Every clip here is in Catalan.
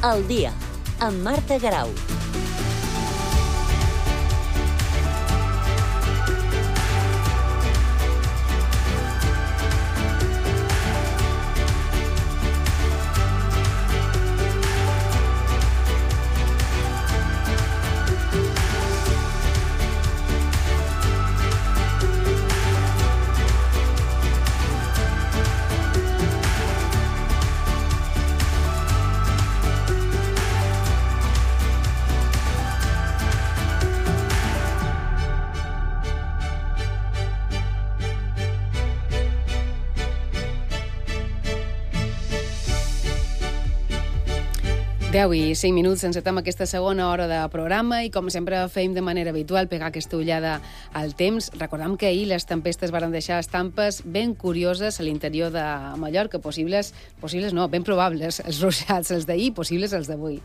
Al dia, amb Marta Garau. Deu i 5 minuts, encetem aquesta segona hora de programa i, com sempre, fem de manera habitual pegar aquesta ullada al temps. Recordem que ahir les tempestes varen deixar estampes ben curioses a l'interior de Mallorca, possibles no, ben probables, els ruixats, els d'ahir, possibles els d'avui.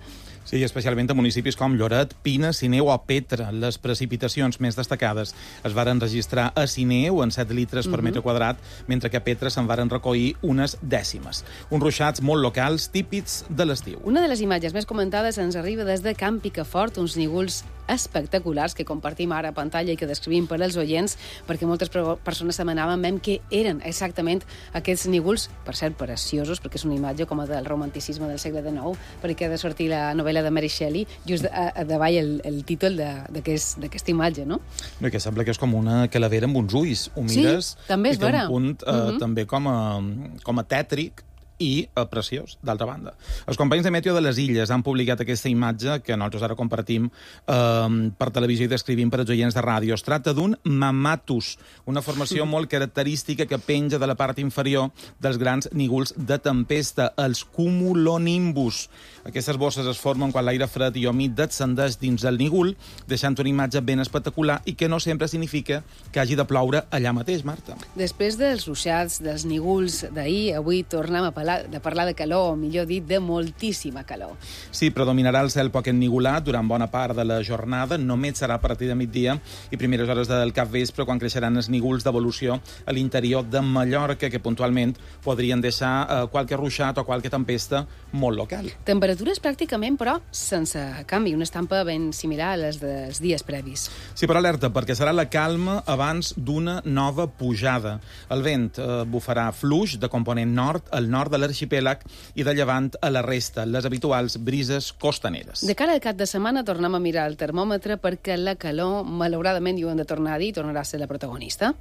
Sí, especialment a municipis com Lloret, Pina, Sineu o Petra. Les precipitacions més destacades es varen registrar a Sineu en 7 litres per metre quadrat, mentre que a Petra se'n varen recollir unes dècimes. Uns ruixats molt locals, típics de l'estiu. Una de les imatges més comentades ens arriba des de Camp Picafort, uns nígols espectaculars que compartim ara a pantalla i que descrivim per als oients, perquè moltes persones demanaven què eren exactament aquests nígols, per cert, preciosos, perquè és una imatge com a del romanticisme del segle XIX, perquè ha de sortir la novel·la de Mary Shelley, just a davall el títol d'aquesta imatge, no? No, que sembla que és com una calavera amb uns ulls. Ho mires, sí, també és vera. I té un punt també com a tètric, i preciós, d'altra banda. Els companys de Meteo de les Illes han publicat aquesta imatge que nosaltres ara compartim per televisió i descrivim per als oients de ràdio. Es tracta d'un mammatus, una formació molt característica que penja de la part inferior dels grans nígols de tempesta, els cumulonimbus. Aquestes bosses es formen quan l'aire fred i humit descendeix dins del nígol, deixant una imatge ben espectacular i que no sempre significa que hagi de ploure allà mateix, Marta. Després dels ruixats, dels nígols d'ahir, avui tornem a parlar de calor, o millor dit, de moltíssima calor. Sí, predominarà el cel poc ennigolat durant bona part de la jornada, només serà a partir de migdia i primeres hores del capvespre quan creixeran els nígols d'evolució a l'interior de Mallorca, que puntualment podrien deixar qualque ruixat o qualque tempesta molt local. Temperatures pràcticament, però, sense canvi, una estampa ben similar a les dels dies previs. Sí, però alerta, perquè serà la calma abans d'una nova pujada. El vent bufarà fluix de component nord al nord de l'arxipèlag i de llevant a la resta, les habituals brises costaneres. De cara al cap de setmana tornem a mirar el termòmetre perquè la calor, malauradament, i ho hem de tornar a dir, tornarà a ser la protagonista.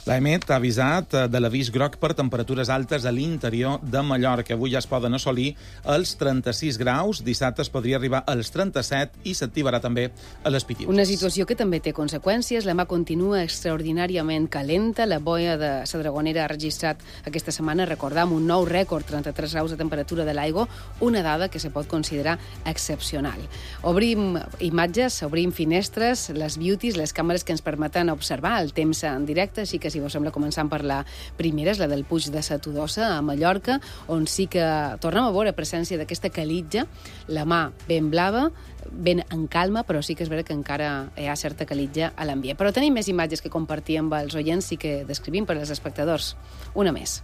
L'EMET ha avisat de l'avís groc per temperatures altes a l'interior de Mallorca. Avui ja es poden assolir els 36 graus, dissabte es podria arribar als 37 i s'activarà també a les Pitiuses. Una situació que també té conseqüències. La mà continua extraordinàriament calenta. La boia de la Dragonera ha registrat aquesta setmana, recordam, un nou rècord, 33 graus de temperatura de l'aigua, una dada que se pot considerar excepcional. Obrim imatges, obrim finestres, les beauties, les càmeres que ens permeten observar el temps en directe, així que si vos sembla, començant per la primera, és la del Puig de Satudosa, a Mallorca, on sí que tornem a veure presència d'aquesta calitja, la mà ben blava, ben en calma, però sí que és vera que encara hi ha certa calitja a l'ambient. Però tenim més imatges que compartir amb els oients i que descrivim per als espectadors. Una més.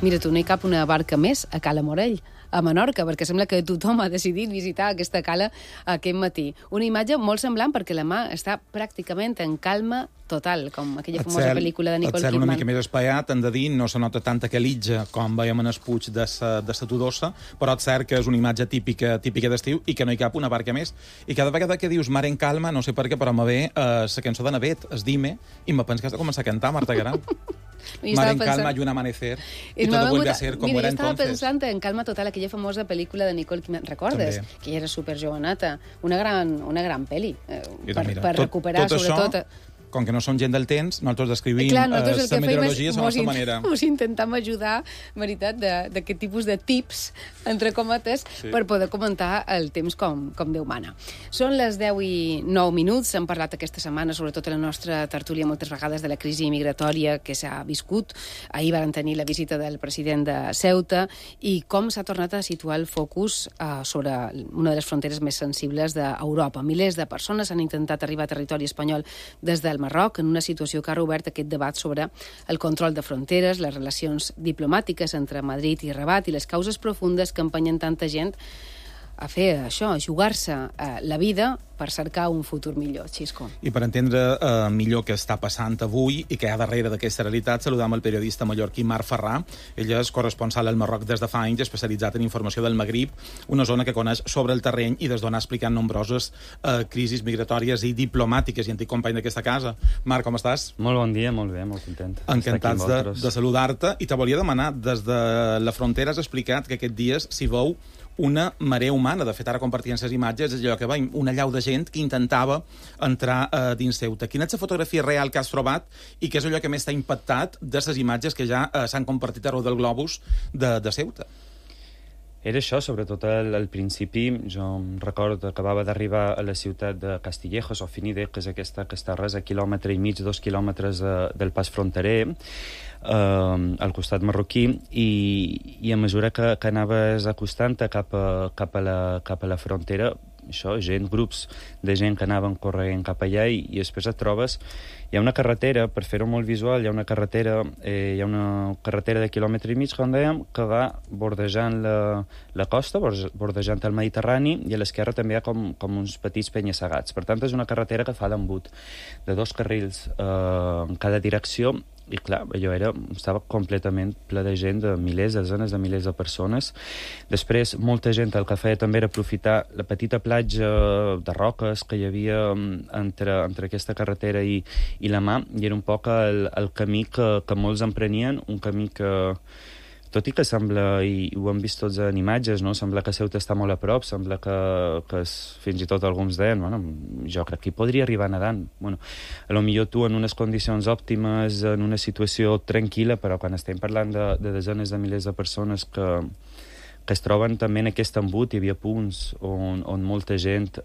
Mira tu, no hi cap una barca més a Cala Morell, a Menorca, perquè sembla que tothom ha decidit visitar aquesta cala aquest matí. Una imatge molt semblant perquè la mà està pràcticament en calma total, com aquella famosa pel·lícula de Nicole Kidman. El cel una mica més espaiat, hem de dir, no se nota tanta calitja com veiem en el Puig de Satudosa, però és cert que és una imatge típica d'estiu i que no hi cap una barca més. I cada vegada que dius mar en calma, no sé per què, però me ve la cançó de Navet, es Dime, i me penso que has de començar a cantar, Marta Garau. Mar en calma y un amanecer y todo vuelve a ser como era entonces. Estava pensant en Calma Total, aquella famosa pel·lícula de Nicole Kidman, recordes? També. Que ella era superjoveneta, una gran pel·li per recuperar tot sobretot... Això, com que no som gent del temps, nosaltres descrivim la meteorologia a la nostra manera. Us intentam ajudar, veritat, d'aquest tipus de tips, entre cometes, per poder comentar el temps com Déu mana. Són les 10 i 9 minuts. Hem parlat aquesta setmana, sobretot a la nostra tertúlia, moltes vegades de la crisi migratòria que s'ha viscut. Ahir van tenir la visita del president de Ceuta i com s'ha tornat a situar el focus sobre una de les fronteres més sensibles d'Europa. Milers de persones han intentat arribar a territori espanyol des del del Marroc, en una situació que ha obert aquest debat sobre el control de fronteres, les relacions diplomàtiques entre Madrid i Rabat i les causes profundes que empenyen tanta gent a fer això, a jugar-se la vida per cercar un futur millor. Xisco. I per entendre millor què està passant avui i què hi ha darrere d'aquesta realitat, saludam el periodista mallorquí Marc Ferrà. Ell és corresponsal al Marroc des de fa anys, especialitzat en informació del Magrib, una zona que coneix sobre el terreny i des d'on ha explicat nombroses crisis migratòries i diplomàtiques, i antic company d'aquesta casa. Marc, com estàs? Molt bon dia, molt bé, molt content. Encantats de saludar-te. I te volia demanar, des de la frontera has explicat que aquests dies s'hi veu una marea humana. De fet, ara compartien les imatges, és allò que veiem, una llau de gent que intentava entrar dins Ceuta. Quina és la fotografia real que has trobat i què és allò que més t'ha impactat de les imatges que ja s'han compartit arreu del globus de Ceuta? Era això, sobretot al principi. Jo em recordo que acabava d'arribar a la ciutat de Castillejos, o Finide, que és aquesta que està res a 1,5 quilòmetres, 2 quilòmetres del pas fronterer, al costat marroquí, i a mesura que anaves acostant-te cap a la frontera, això, grups de gent que anaven corrent cap allà, i després et trobes, hi ha una carretera, per fer-ho molt visual, hi ha una carretera de 1,5 quilòmetres, com dèiem, que va bordejant la costa, bordejant el Mediterrani, i a l'esquerra també hi ha com uns petits penya-segats. Per tant, és una carretera que fa d'embut de 2 carrils en cada direcció, i clar, allò estava completament ple de gent, de milers, desenes de milers de persones. Després, molta gent el que feia també era aprofitar la petita platja de roques que hi havia entre aquesta carretera i la mà, i era un poc el camí que molts emprenien, un camí que, tot i que sembla, i ho hem vist tots en imatges, no? Sembla que Ceuta està molt a prop, sembla que fins i tot alguns deien, bueno, jo crec que hi podria arribar nedant. Bueno, potser tu en unes condicions òptimes, en una situació tranquil·la, però quan estem parlant de desenes de milers de persones que es troben també en aquest embut, hi havia punts on molta gent,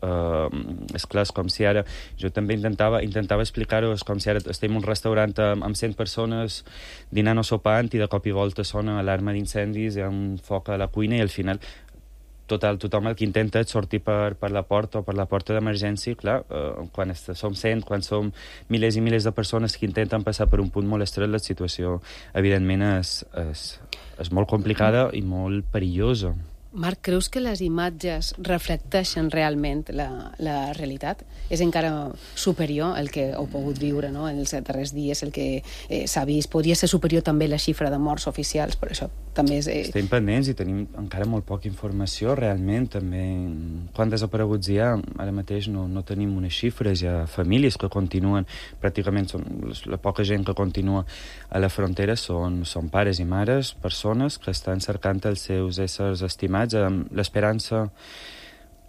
esclar, com si ara, jo també intentava explicar-ho, com si ara estem en un restaurant amb 100 persones dinant o sopant, i de cop i volta sona alarma d'incendis, hi ha un foc a la cuina, i al final tothom el que intenta és sortir per la porta o per la porta d'emergència. Clar, quan som 100, quan som milers i milers de persones que intenten passar per un punt molt estret, la situació evidentment és molt complicada i molt perillosa. Marc, creus que les imatges reflecteixen realment la realitat? És encara superior el que heu pogut viure, no?, en els darrers dies, el que s'ha vist? Podria ser superior també la xifra de morts oficials, per això també és... Estem pendents i tenim encara molt poca informació, realment, també. Quants desapareguts hi ha? Ara mateix no tenim unes xifres, hi ha famílies que continuen, pràcticament la poca gent que continua a la frontera són pares i mares, persones que estan cercant els seus éssers estimats, amb l'esperança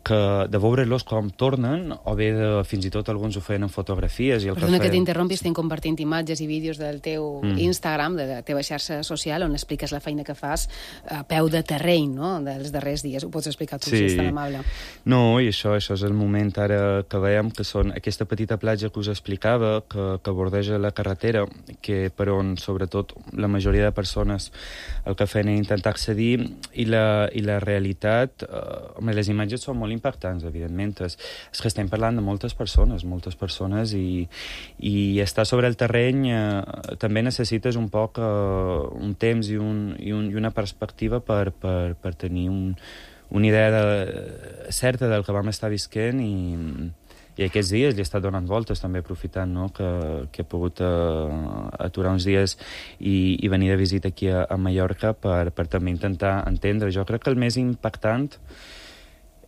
de veure-los com tornen, o bé fins i tot alguns ho feien en fotografies. Perdona que t'interrompi, estem compartint imatges i vídeos del teu Instagram, de la teva xarxa social, on expliques la feina que fas a peu de terreny, no?, dels darrers dies. Ho pots explicar tu, si és tan amable. No, i això és el moment ara que veiem, que són aquesta petita platja que us explicava, que bordeja la carretera, que per on, sobretot, la majoria de persones el que feien era intentar accedir, i la realitat, les imatges són molt impactants, evidentment. És que estem parlant de moltes persones, i estar sobre el terreny també necessites un poc un temps i una perspectiva per tenir una idea certa del que vam estar visquent, i aquests dies li he estat donant voltes, també aprofitant, no?, que he pogut aturar uns dies i venir de visita aquí a Mallorca per també intentar entendre. Jo crec que el més impactant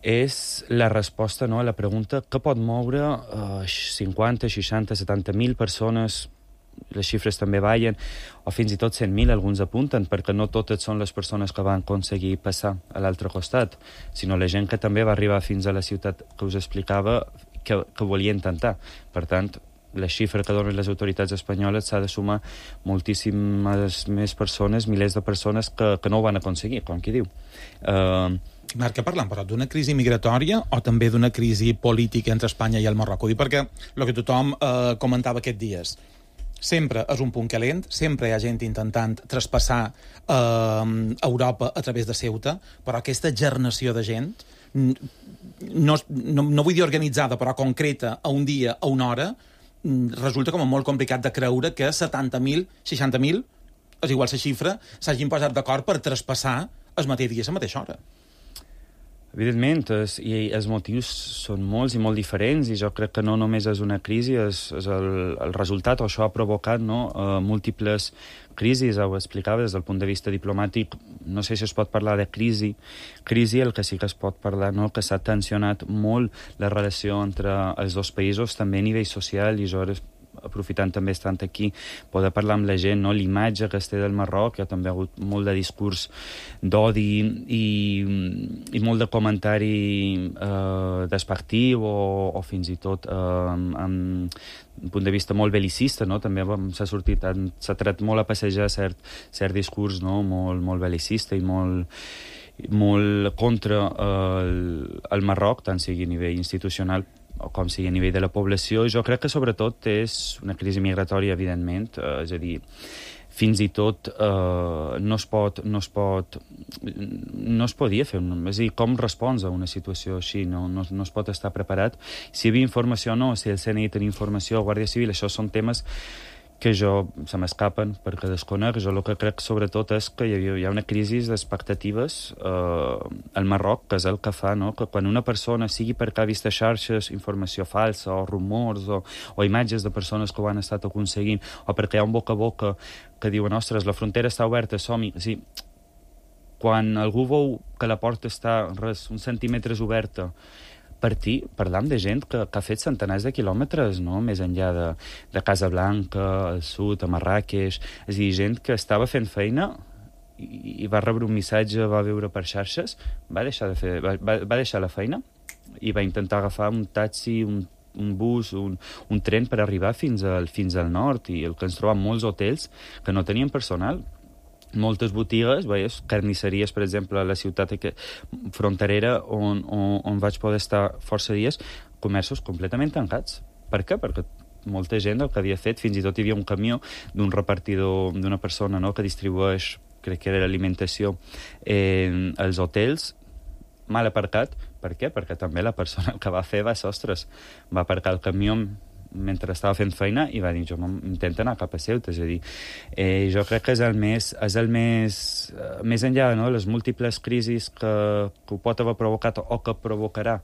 és la resposta, no?, a la pregunta què pot moure 50, 60, 70.000 persones, les xifres també ballen, o fins i tot 100.000, alguns apunten, perquè no totes són les persones que van aconseguir passar a l'altre costat, sinó la gent que també va arribar fins a la ciutat que us explicava, que volia intentar. Per tant, la xifra que donen les autoritats espanyoles s'ha de sumar moltíssimes més persones, milers de persones que no ho van aconseguir, com qui diu. Marc, què parlem, però, d'una crisi migratòria o també d'una crisi política entre Espanya i el Marroc? Ho dic perquè el que tothom comentava aquests dies, sempre és un punt calent, sempre hi ha gent intentant traspassar Europa a través de Ceuta, però aquesta gernació de gent, no vull dir organitzada, però concreta, a un dia, a una hora, resulta com molt complicat de creure que 70.000, 60.000, és igual la xifra, s'hagin posat d'acord per traspassar el mateix dia a la mateixa hora. Evidentment, i els motius són molts i molt diferents, i jo crec que no només és una crisi, és el resultat, o això ha provocat múltiples crisis, ho explicava des del punt de vista diplomàtic, no sé si es pot parlar de crisi, el que sí que es pot parlar, no? Que s'ha tensionat molt la relació entre els dos països, també a nivell social, i jo aprofitant també estant aquí, poder parlar amb la gent, no? L'imatge que es té del Marroc, hi ha també hagut molt de discurs d'odi i molt de comentari despectiu o fins i tot amb un punt de vista molt belicista, no? També s'ha tret molt a passejar cert discurs, no? Molt belicista i molt contra el Marroc, tant sigui a nivell institucional o com sigui a nivell de la població. Jo crec que sobretot és una crisi migratòria, evidentment, és a dir, fins i tot no es podia fer, és a dir, com respons a una situació així, no es pot estar preparat. Si hi havia informació o no, si el CNI tenia informació, Guàrdia Civil, això són temes que se m'escapen perquè desconec. Jo el que crec sobretot és que hi ha una crisi d'expectatives al Marroc, que és el que fa, no? Que quan una persona, sigui perquè ha vist a xarxes informació falsa o rumors o imatges de persones que ho han estat aconseguint, o perquè hi ha un boca a boca que diuen, ostres, la frontera està oberta, som-hi. Sí. Quan algú veu que la porta està uns centímetres oberta, parlam de gent que ha fet centenars de quilòmetres, no? Més enllà de Casablanca, al sud, a Marràqueix, és a dir, gent que estava fent feina i va rebre un missatge, va veure per xarxes, va deixar la feina i va intentar agafar un taxi, un bus, un tren per arribar fins al nord, i el que ens trobem molts hotels que no tenien personal. Moltes botigues, carnisseries, per exemple, a la ciutat fronterera on vaig poder estar força dies, comerços completament tancats. Per què? Perquè molta gent el que havia fet, fins i tot hi havia un camió d'un repartidor, d'una persona, no?, que distribueix, crec que era l'alimentació, als hotels, mal aparcat. Per què? Perquè també la persona que va fer va ser, ostres, va aparcar el camió mentre estava fent feina i va dir, jo m'intento anar cap a Ceuta. És a dir, jo crec que és el més enllà, no?, les múltiples crisis que ho pot haver provocat o que provocarà,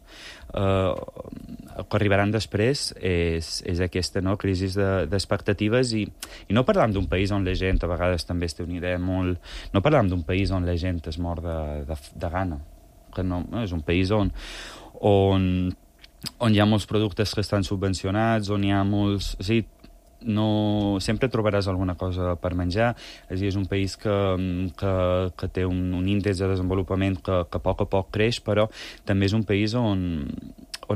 que arribaran després, és aquesta, no?, crisi d'expectatives, i no parlam d'un país on la gent a vegades també es té una idea molt... No parlam d'un país on la gent es mor de gana, que no, és un país on hi ha molts productes que estan subvencionats, on hi ha molts... O sigui, sempre trobaràs alguna cosa per menjar. És a dir, és un país que té un índex de desenvolupament que a poc creix, però també és un país on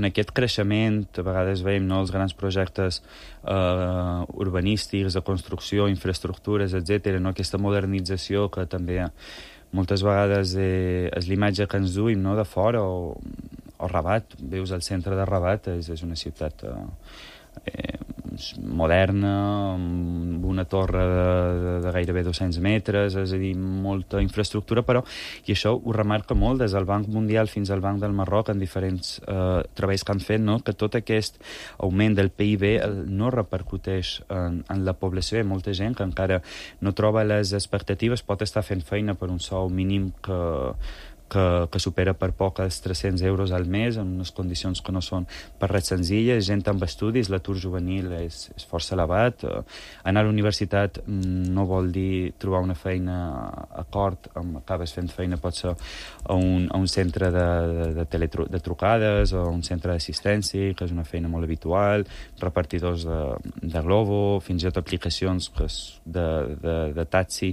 aquest creixement, a vegades veiem, no, els grans projectes urbanístics, de construcció, infraestructures, etc., no, aquesta modernització que també moltes vegades és l'imatge que ens duim, no?, de fora, o Rabat, veus el centre de Rabat, és una ciutat moderna, amb una torre de gairebé 200 metres, és a dir, molta infraestructura, però, i això ho remarca molt des del Banc Mundial fins al Banc del Marroc, en diferents treballs que han fet, no?, que tot aquest augment del PIB no repercuteix en la població. Hi ha molta gent que encara no troba les expectatives, pot estar fent feina per un sou mínim que supera per poc els 300 euros al mes, en unes condicions que no són per res senzilles, gent amb estudis, l'atur juvenil és força elevat, anar a la universitat no vol dir trobar una feina a cort, acabes fent feina pot ser a un centre de trucades, o un centre d'assistència, que és una feina molt habitual, repartidors de Glovo, fins i tot aplicacions de taxi,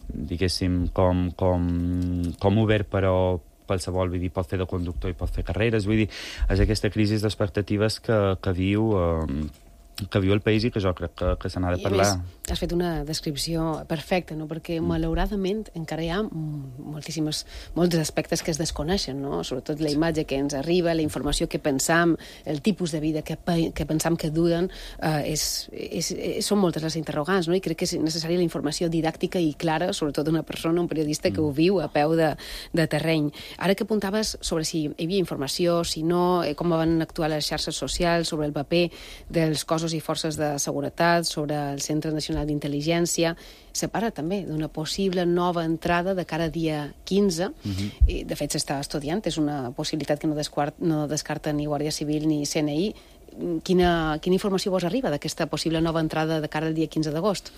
diguéssim, com Uber, però qualsevol, vull dir, pot fer de conductor i pot fer carreres, vull dir, és aquesta crisi d'expectatives que viu el país, i que jo crec que se n'ha de parlar. Has fet una descripció perfecta, no? Perquè malauradament encara hi ha molts aspectes que es desconeixen, no? Sobretot la imatge que ens arriba, la informació que pensam, el tipus de vida que pensam que duen, són moltes les interrogants, no? I crec que és necessària la informació didàctica i clara, sobretot d'una persona, un periodista que ho viu a peu de terreny. Ara que apuntaves sobre si hi havia informació, si no, com van actuar les xarxes socials, sobre el paper dels cossos i forces de seguretat, sobre el Centre Nacional d'Intel·ligència, se parla també d'una possible nova entrada de cara a dia 15. I, de fet, s'està estudiant, és una possibilitat que no descarta ni Guàrdia Civil ni CNI. Quina informació vos arriba d'aquesta possible nova entrada de cara al dia 15 d'agost?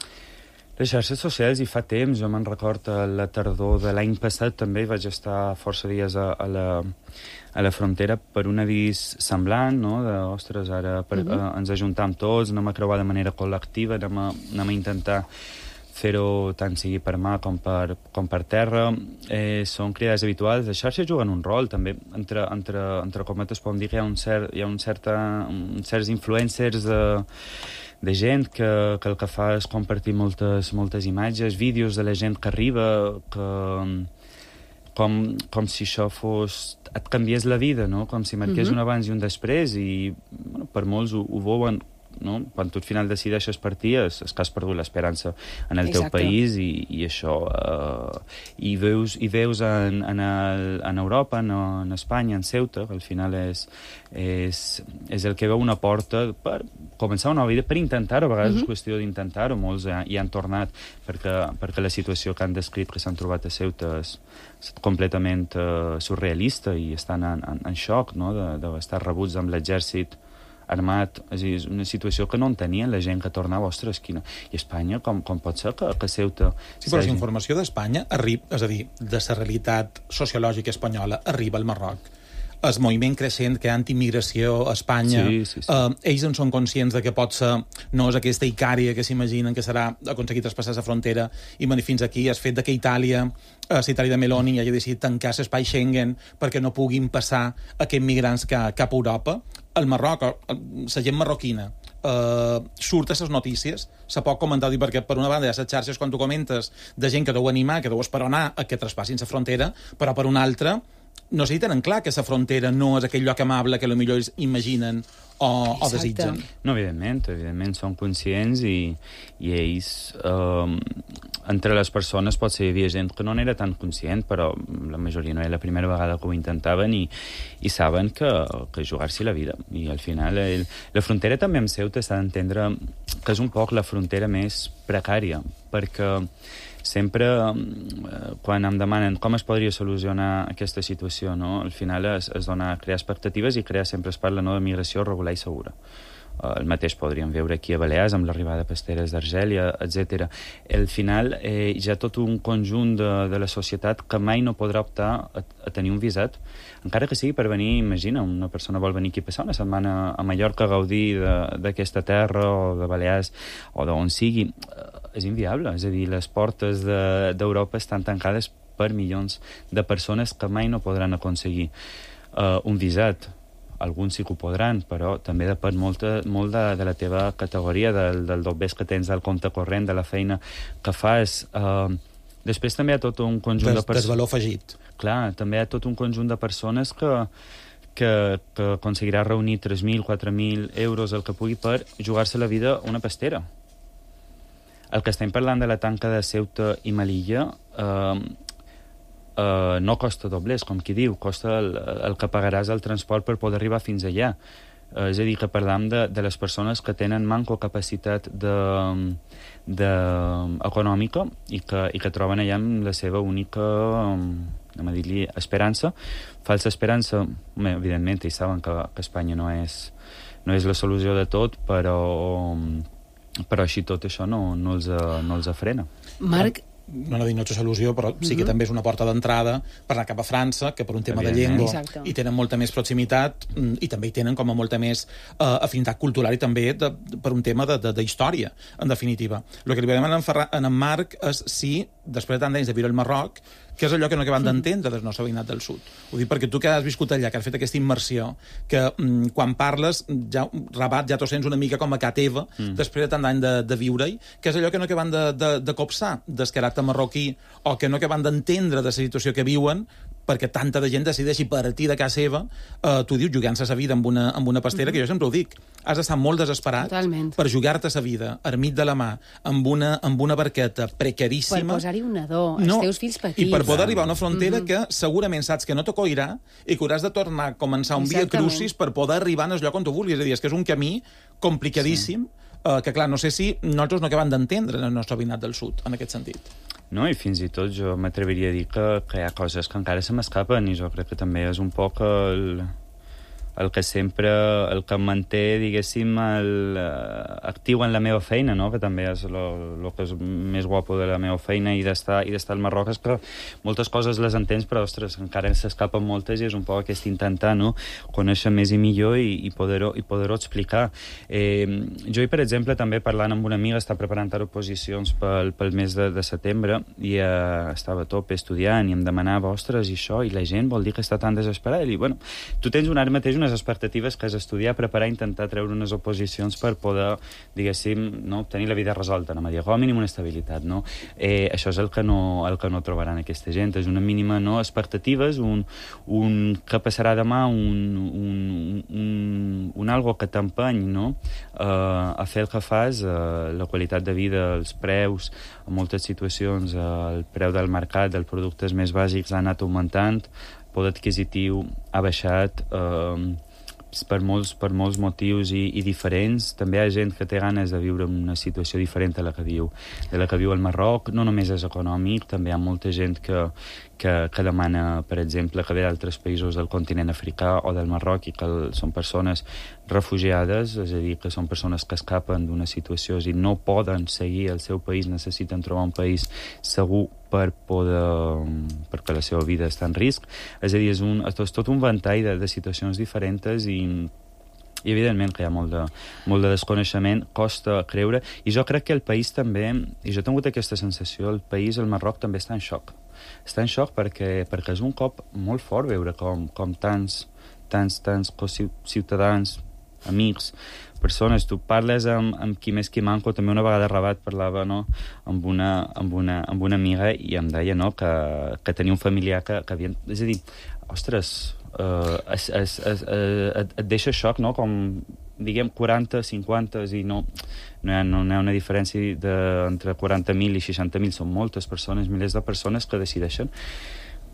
Les xarxes socials, i fa temps, jo me'n record a la tardor de l'any passat també vaig estar força dies a la frontera per un avís semblant, no? Ostres, ara ens ajuntam tots, anem a creuar de manera col·lectiva, anem a intentar fer-ho tant sigui per mà com per terra. Són cridades habituals. Les xarxes juguen un rol, també, entre cometes, podem dir que hi ha certs influencers de gent que el que fa és compartir moltes imatges, vídeos de la gent que arriba, com si això et canviés la vida, no? Com si marqués un abans i un després, i per molts ho veuen, no? Quan tu al final decideixes partir és que has perdut l'esperança en el teu país, i això i veus en Europa, en Espanya, en Ceuta, que al final és el que veu una porta per començar una nova vida, per intentar-ho. A vegades és qüestió d'intentar-ho. Molts hi han tornat perquè la situació que han descrit que s'han trobat a Ceuta és completament surrealista, i estan en xoc, no? D'estar rebuts amb l'exèrcit armat. És una situació que no entenien la gent que tornava. Ostres, quina... I Espanya, com pot ser que Ceuta... Sí, però la informació d'Espanya arriba, és a dir, de la realitat sociològica espanyola, arriba al Marroc. El moviment creixent que hi ha anti-immigració a Espanya, ells en són conscients de que pot ser, no és aquesta Icària que s'imaginen que serà aconseguir traspassar la frontera i venir fins aquí. El fet de que Itàlia, la Itàlia de Meloni, hagi decidit tancar l'espai Schengen perquè no puguin passar aquests migrants cap a Europa. Al Marroc, la gent marroquina surt a les notícies, se pot comentar, perquè per una banda hi ha les xarxes, quan tu comentes, de gent que deu animar, que deu esperonar a que traspassin la frontera, però per una altra no sé si tenen clar que la frontera no és aquell lloc amable que potser ells imaginen o desitgen. No, evidentment són conscients, i ells, entre les persones potser hi havia gent que no n'era tan conscient, però la majoria no era la primera vegada que ho intentaven, i saben que jugar-s'hi la vida. I al final la frontera també amb Ceuta s'ha d'entendre que és un poc la frontera més precària, perquè sempre, quan em demanen com es podria solucionar aquesta situació, no? Al final es dona a crear expectatives, i sempre es parla, no, de migració regular i segura. El mateix podríem veure aquí a Balears amb l'arribada de pasteres d'Argèlia, etc. Al final hi ha tot un conjunt de la societat que mai no podrà optar a tenir un visat, encara que sigui per venir. Imagina, una persona vol venir aquí a passar una setmana a Mallorca a gaudir d'aquesta terra, o de Balears, o d'on sigui. És inviable. És a dir, les portes d'Europa estan tancades per milions de persones que mai no podran aconseguir un visat. Alguns sí que ho podran, però també depèn molt de la teva categoria, del dobbers que tens al compte corrent, de la feina que fas. Després també hi ha tot un conjunt de persones... Del valor afegit. Clar, també hi ha tot un conjunt de persones que aconseguirà reunir 3.000, 4.000 euros, el que pugui, per jugar-se la vida una pastera. El que estem parlant de la tanca de Ceuta i Melilla no costa doblers, com qui diu, costa el que pagaràs al transport per poder arribar fins allà. És a dir, que parlam de les persones que tenen manco capacitat econòmica i que troben allà la seva única, anem a dir-li, esperança. Falsa esperança, evidentment, ells saben que Espanya no és la solució de tot, però així tot això no els frena. Marc, no dic no és solució, però sí que també és una porta d'entrada per anar cap a França, que per un tema de llengua hi tenen molta més proximitat, i també hi tenen com a molta més afinitat cultural, i també per un tema d'història, en definitiva. El que li vam demanar a en Marc és si, després de tant d'anys de viure al Marroc, que és allò que no acabem d'entendre del nostre veïnat del sud. Ho dic perquè tu que has viscut allà, que has fet aquesta immersió, que quan parles, Rabat ja t'ho sents una mica com a ca teva, després de tant d'any de viure-hi, que és allò que no acaben de copsar del caràcter marroquí, o que no acaben d'entendre de la situació que viuen, perquè tanta de gent decideixi partir de casa seva, tu dius, jugant-se la vida amb una pastera, que jo sempre ho dic, has d'estar molt desesperat per jugar-te la vida, armit de la mà, amb una barqueta precaríssima. Per posar-hi un nadó, els teus fills petits. I per poder arribar a una frontera que segurament saps que no t'acollirà i que hauràs de tornar a començar un via crucis per poder arribar al lloc on tu vulguis. És a dir, és que és un camí complicadíssim, que clar, no sé si nosaltres no acabem d'entendre el nostre veïnat del sud, en aquest sentit. No, i fins i tot jo m'atreviria a dir que hi ha coses que encara se m'escapen, i jo crec que també és un poc el que sempre, el que em manté, diguéssim, actiu en la meva feina, no? Que també és el que és més guapo de la meva feina i d'estar al Marroc, és que moltes coses les entens, però, ostres, encara s'escapen moltes, i és un poc aquest intentar, no?, conèixer més i millor i poder-ho explicar. Jo, per exemple, també parlant amb una amiga, està preparant ara oposicions pel mes de setembre, i estava a tope estudiant, i em demanava, ostres, i això, i la gent vol dir que està tan desesperada? I dic, bueno, tu tens ara mateix unes expectatives que és estudiar, preparar, intentar treure unes oposicions per poder, diguéssim, no, tenir la vida resolta, no? Com a mínim una estabilitat, no? Això és el que no trobaran aquesta gent, és una mínima, no, expectatives, un que passarà demà, un algo que t'empeny, no?, a fer el que fas, la qualitat de vida, els preus, en moltes situacions el preu del mercat dels productes més bàsics ha anat augmentant, poder adquisitiu ha baixat, per molts motius i diferents. També hi ha gent que té ganes de viure en una situació diferent de la que viu al Marroc. No només és econòmic, també hi ha molta gent que demana, per exemple, que ve d'altres països del continent africà o del Marroc, i que són persones refugiades, és a dir, que són persones que escapen d'una situació i no poden seguir al seu país, necessiten trobar un país segur perquè la seva vida està en risc. És a dir, és tot un ventall de situacions diferents, i evidentment que hi ha molt de desconeixement, costa creure, i jo crec que el país també, i jo he tingut aquesta sensació, el país, el Marroc, també està en xoc. Està en xoc perquè és un cop molt fort veure com tants ciutadans, amics, persones, tu parles amb qui més qui manco. També una vegada a Rabat parlava, no?, amb una amiga, i em deia, no?, que tenia un familiar que havia... És a dir, ostres, et deixa xoc, no?, com, diguem, 40, 50, i no hi ha una diferència entre 40.000 i 60.000, són moltes persones, milers de persones que decideixen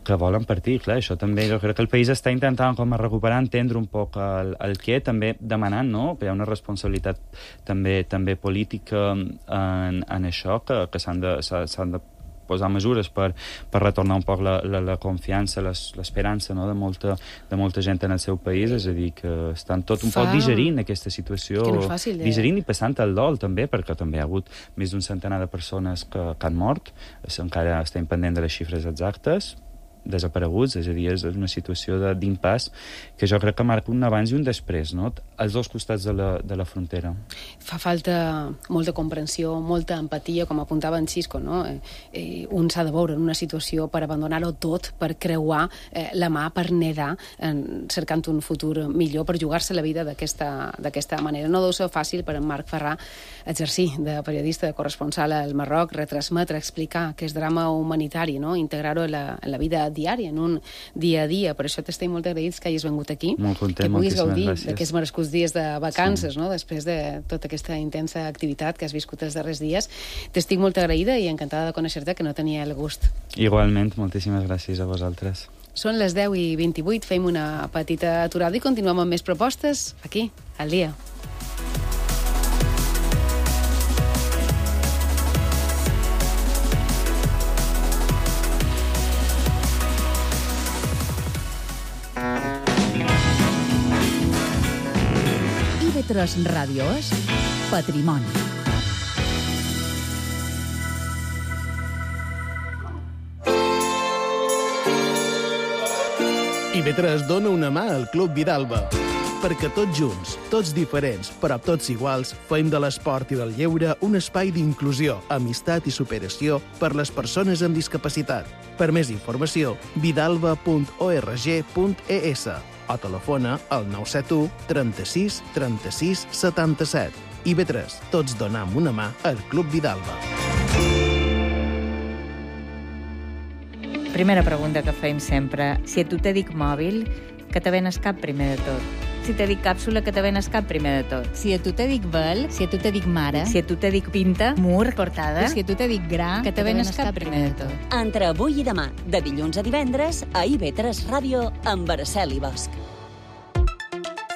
que volen partir. Clar, això també, jo crec que el país està intentant com a recuperar, entendre un poc el què, també demanant, no?, que hi ha una responsabilitat també política en això, que s'han de posar mesures per retornar un poc la confiança, l'esperança, no?, de molta gent en el seu país. És a dir, que estan tot un poc digerint aquesta situació, que no és fàcil, digerint i passant el dol també, perquè també hi ha hagut més d'un centenar de persones que han mort, encara estem pendent de les xifres exactes, desapareguts, és a dir, és una situació d'impàs que jo crec que marca un abans i un després, no?, als dos costats de la frontera. Fa falta molta comprensió, molta empatia, com apuntava en Xisco, no? Un s'ha de veure en una situació per abandonar-ho tot, per creuar la mà, per nedar, cercant un futur millor, per jugar-se la vida d'aquesta manera. No deu ser fàcil per en Marc Ferrà exercir de periodista, de corresponsal al Marroc, retransmetre, explicar aquest drama humanitari, no?, integrar-ho en la vida diària, en un dia a dia. Per això t'estem molt agraïts que hagis vengut aquí, molt content, que puguis gaudir gràcies d'aquests merescuts dies de vacances, no?, després de tota aquesta intensa activitat que has viscut els darrers dies. T'estic molt agraïda i encantada de conèixer-te, que no tenia el gust. Igualment, moltíssimes gràcies a vosaltres. Són les 10:28, fem una petita aturada i continuem amb més propostes aquí, al dia. IB3 Ràdio és Patrimoni. IB3 dona una mà al Club Vidalba. perquè tots junts, tots diferents, però tots iguals, fem de l'esport i del lleure un espai d'inclusió, amistat i superació per les persones amb discapacitat. Per més informació, vidalba.org.es o telefona al 971 36 36 77. IB3, tots donam una mà al Club Vidalba. Primera pregunta que fem sempre. Si a tu te dic mòbil, que te ven el cap primer de tot. Si te dic càpsula, que te ven el cap primer de tot. Si a tu te dic vel, si a tu te dic mare, Si a tu te dic pinta, mur, portada, si a tu te dic gra, que te ven el cap primer de tot. Entre avui i demà, de dilluns a divendres, a IB3 Ràdio, amb Araceli Bosch.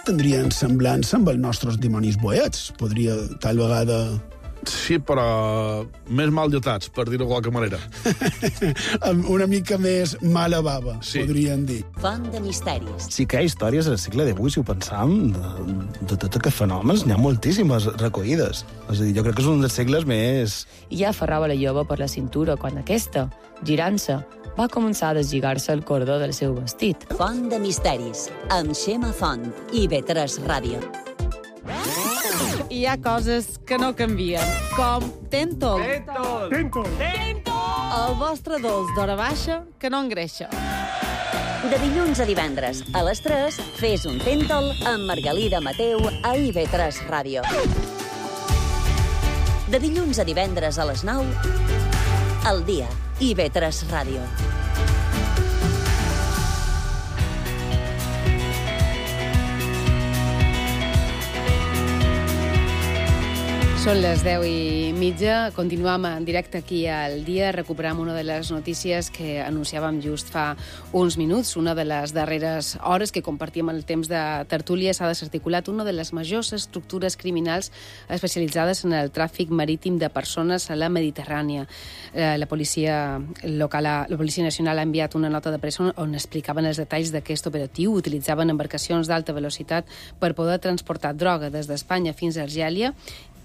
Tindrien semblança amb els nostres dimonis boets. Podria, tal vegada... Sí, però més mal dotats, per dir-ho de qualque manera. Una mica més mala bava, Sí. podrien dir. Font de misteris. Sí que hi ha històries al segle XVIII, si ho pensam, de tots aquests fenòmens, n'hi ha moltíssimes recollides. És a dir, jo crec que és un dels segles més... I ja aferrava la jove per la cintura quan aquesta, girant-se, va començar a deslligar-se el cordó del seu vestit. Font de misteris, amb Xema Font, IB3 Ràdio. Hi ha coses que no canvien, com Tentol. Tentol! El vostre dolç d'hora baixa que no engreixa. De dilluns a divendres, a les 3, fes un Tentol amb Margalida Mateu a IB3 Ràdio. De dilluns a divendres a les 9, al dia, IB3 Ràdio. Són les 10:30, continuem en directe aquí al dia, recuperam una de les notícies que anunciàvem just fa uns minuts. Una de les darreres hores que compartíem el temps de tertúlia s'ha desarticulat una de les majors estructures criminals especialitzades en el tràfic marítim de persones a la Mediterrània. La policia local, la Policia Nacional ha enviat una nota de pressa on explicaven els detalls d'aquest operatiu. Utilitzaven embarcacions d'alta velocitat per poder transportar droga des d'Espanya fins a Argèlia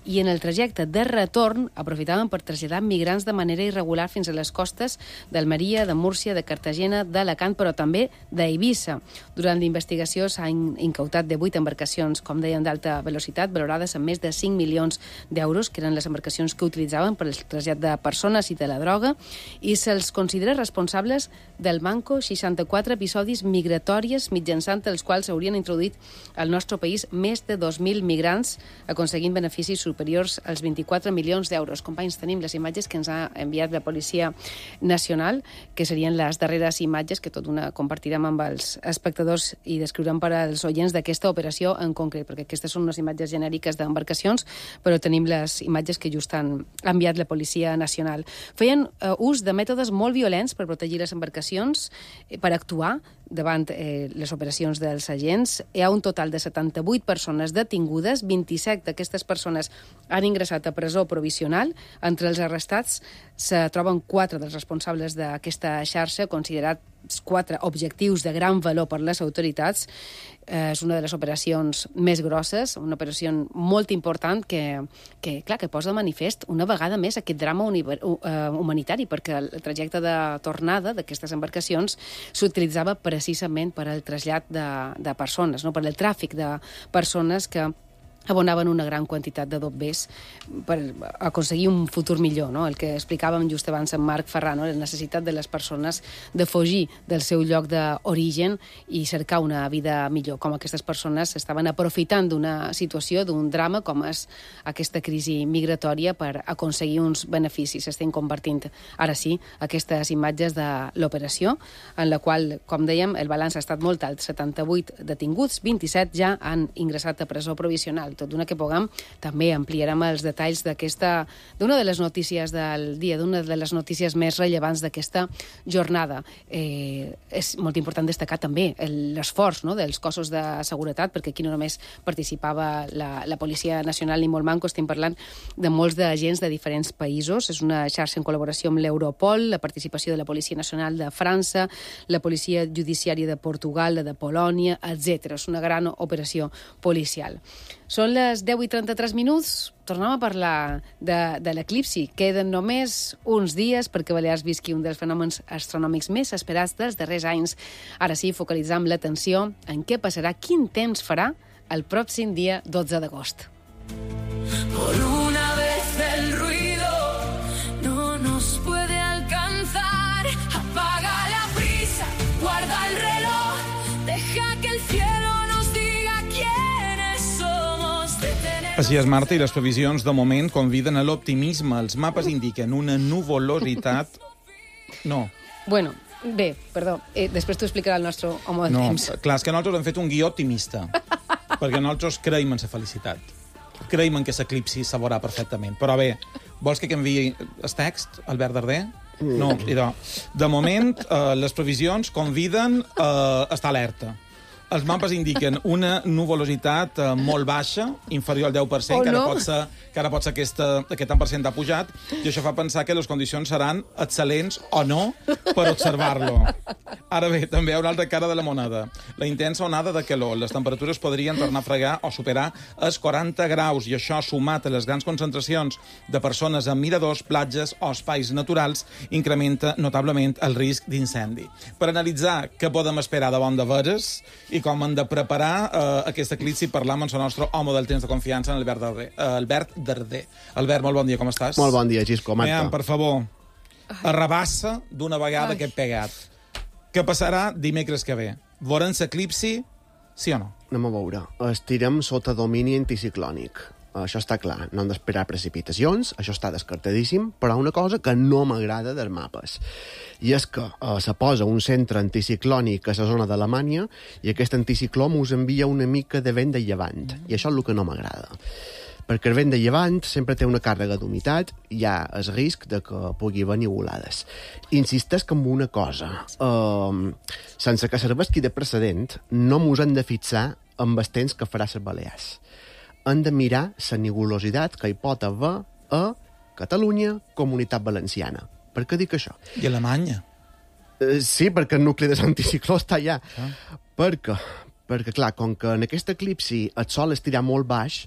i en el trajecte de retorn aprofitaven per traslladar migrants de manera irregular fins a les costes d'Almeria, de Múrcia, de Cartagena, d'Alacant, però també d'Eivissa. Durant l'investigació s'han incautat 18 embarcacions, com deien, d'alta velocitat, valorades en més de 5 milions d'euros, que eren les embarcacions que utilitzaven per al trasllat de persones i de la droga, i se'ls considera responsables del manco 64 episodis migratoris mitjançant els quals s'haurien introduït al nostre país més de 2.000 migrants, aconseguint beneficis superiors als 24 milions d'euros. Companys, tenim les imatges que ens ha enviat la Policia Nacional, que serien les darreres imatges que tot una compartirem amb els espectadors i descriurem per als oients d'aquesta operació en concret, perquè aquestes són unes imatges genèriques d'embarcacions, però tenim les imatges que just han enviat la Policia Nacional. Feien ús de mètodes molt violents per protegir les embarcacions, per actuar davant les operacions dels agents. Hi ha un total de 78 persones detingudes, 27 d'aquestes persones han ingressat a presó provisional. Entre els arrestats se troben 4 dels responsables d'aquesta xarxa, considerats 4 objectius de gran valor per les autoritats. És una de les operacions més grosses, una operació molt important que posa de manifest una vegada més aquest drama humanitari, perquè el trajecte de tornada d'aquestes embarcacions s'utilitzava precisament per al trasllat de persones, no? Per al tràfic de persones que abonaven una gran quantitat de dobbers per aconseguir un futur millor, no? El que explicàvem just abans en Marc Ferran, no? La necessitat de les persones de fugir del seu lloc d'origen i cercar una vida millor, com aquestes persones estaven aprofitant d'una situació, d'un drama com és aquesta crisi migratòria per aconseguir uns beneficis. Estem compartint ara sí aquestes imatges de l'operació, en la qual, com dèiem, el balanç ha estat molt alt, 78 detinguts, 27 ja han ingressat a presó provisional. Tot d'una que puguem, també ampliarem els detalls d'una de les notícies del dia, d'una de les notícies més rellevants d'aquesta jornada. És molt important destacar també l'esforç, no?, dels cossos de seguretat, perquè aquí no només participava la Policia Nacional ni molt manco, estem parlant de molts d'agents de diferents països. És una xarxa en col·laboració amb l'Europol, la participació de la Policia Nacional de França, la Policia Judiciària de Portugal, la de Polònia, etc. És una gran operació policial. Són les 10:33. Tornem a parlar de l'eclipsi. Queden només uns dies perquè Balears visqui un dels fenòmens astronòmics més esperats dels darrers anys. Ara sí, focalitzam l'atenció en què passarà, quin temps farà el pròxim dia 12 d'agost. Por una vez el ruido no nos puede alcanzar. Apaga la prisa, guarda el reloj, deja que el cielo nos diga quiénes somos. Així és, Marta, i les previsions de moment conviden a l'optimisme. Els mapes indiquen una nuvolositat... No. Bueno, bé, perdó, després t'ho explicarà el nostre home del temps. Clar, és que nosaltres hem fet un guió optimista, perquè nosaltres creiem en la felicitat. Creiem en que l'eclipsi se veurà perfectament. Però bé, vols que enviï el text, Albert Darder? No, idò. De moment, les previsions conviden a estar alerta. Els mapes indiquen una nuvolositat molt baixa, inferior al 10%, que ara pot ser aquest tant per cent ha pujat, i això fa pensar que les condicions seran excel·lents o no per observar-lo. Ara bé, també hi ha una altra cara de la moneda. La intensa onada de calor. Les temperatures podrien tornar a fregar o superar els 40 graus, i això, sumat a les grans concentracions de persones en miradors, platges o espais naturals, incrementa notablement el risc d'incendi. Per analitzar què podem esperar de bon de veres i com hem de preparar aquest eclipsi, parlam amb el nostre home del temps de confiança, Albert Darder. Albert, molt bon dia, com estàs? Molt bon dia, Xisco, Marta. Per favor, arrabassa d'una vegada aquest pegat. Què passarà dimecres que ve? Veurem l'eclipsi, sí o no? Anem a veure. Estirem sota domini anticiclònic. Això està clar, no hem d'esperar precipitacions, això està descartadíssim, però una cosa que no m'agrada dels mapes, i és que se posa un centre anticiclònic a la zona d'Alemanya i aquest anticicló us envia una mica de vent de llevant, i això és el que no m'agrada. Perquè el vent de llevant sempre té una càrrega d'humitat i hi ha el risc de que pugui haver nuvolades. Insistesc en una cosa. Sense que serveixi de precedent, no mos hem de fixar amb els temps que farà les Balears. Hem de mirar la nubulositat que hi pot haver a Catalunya, Comunitat Valenciana. Per què dic això? I Alemanya. Sí, perquè el nucli de l'anticicló està allà. Perquè, clar, com que en aquest eclipsi el sol estirà molt baix,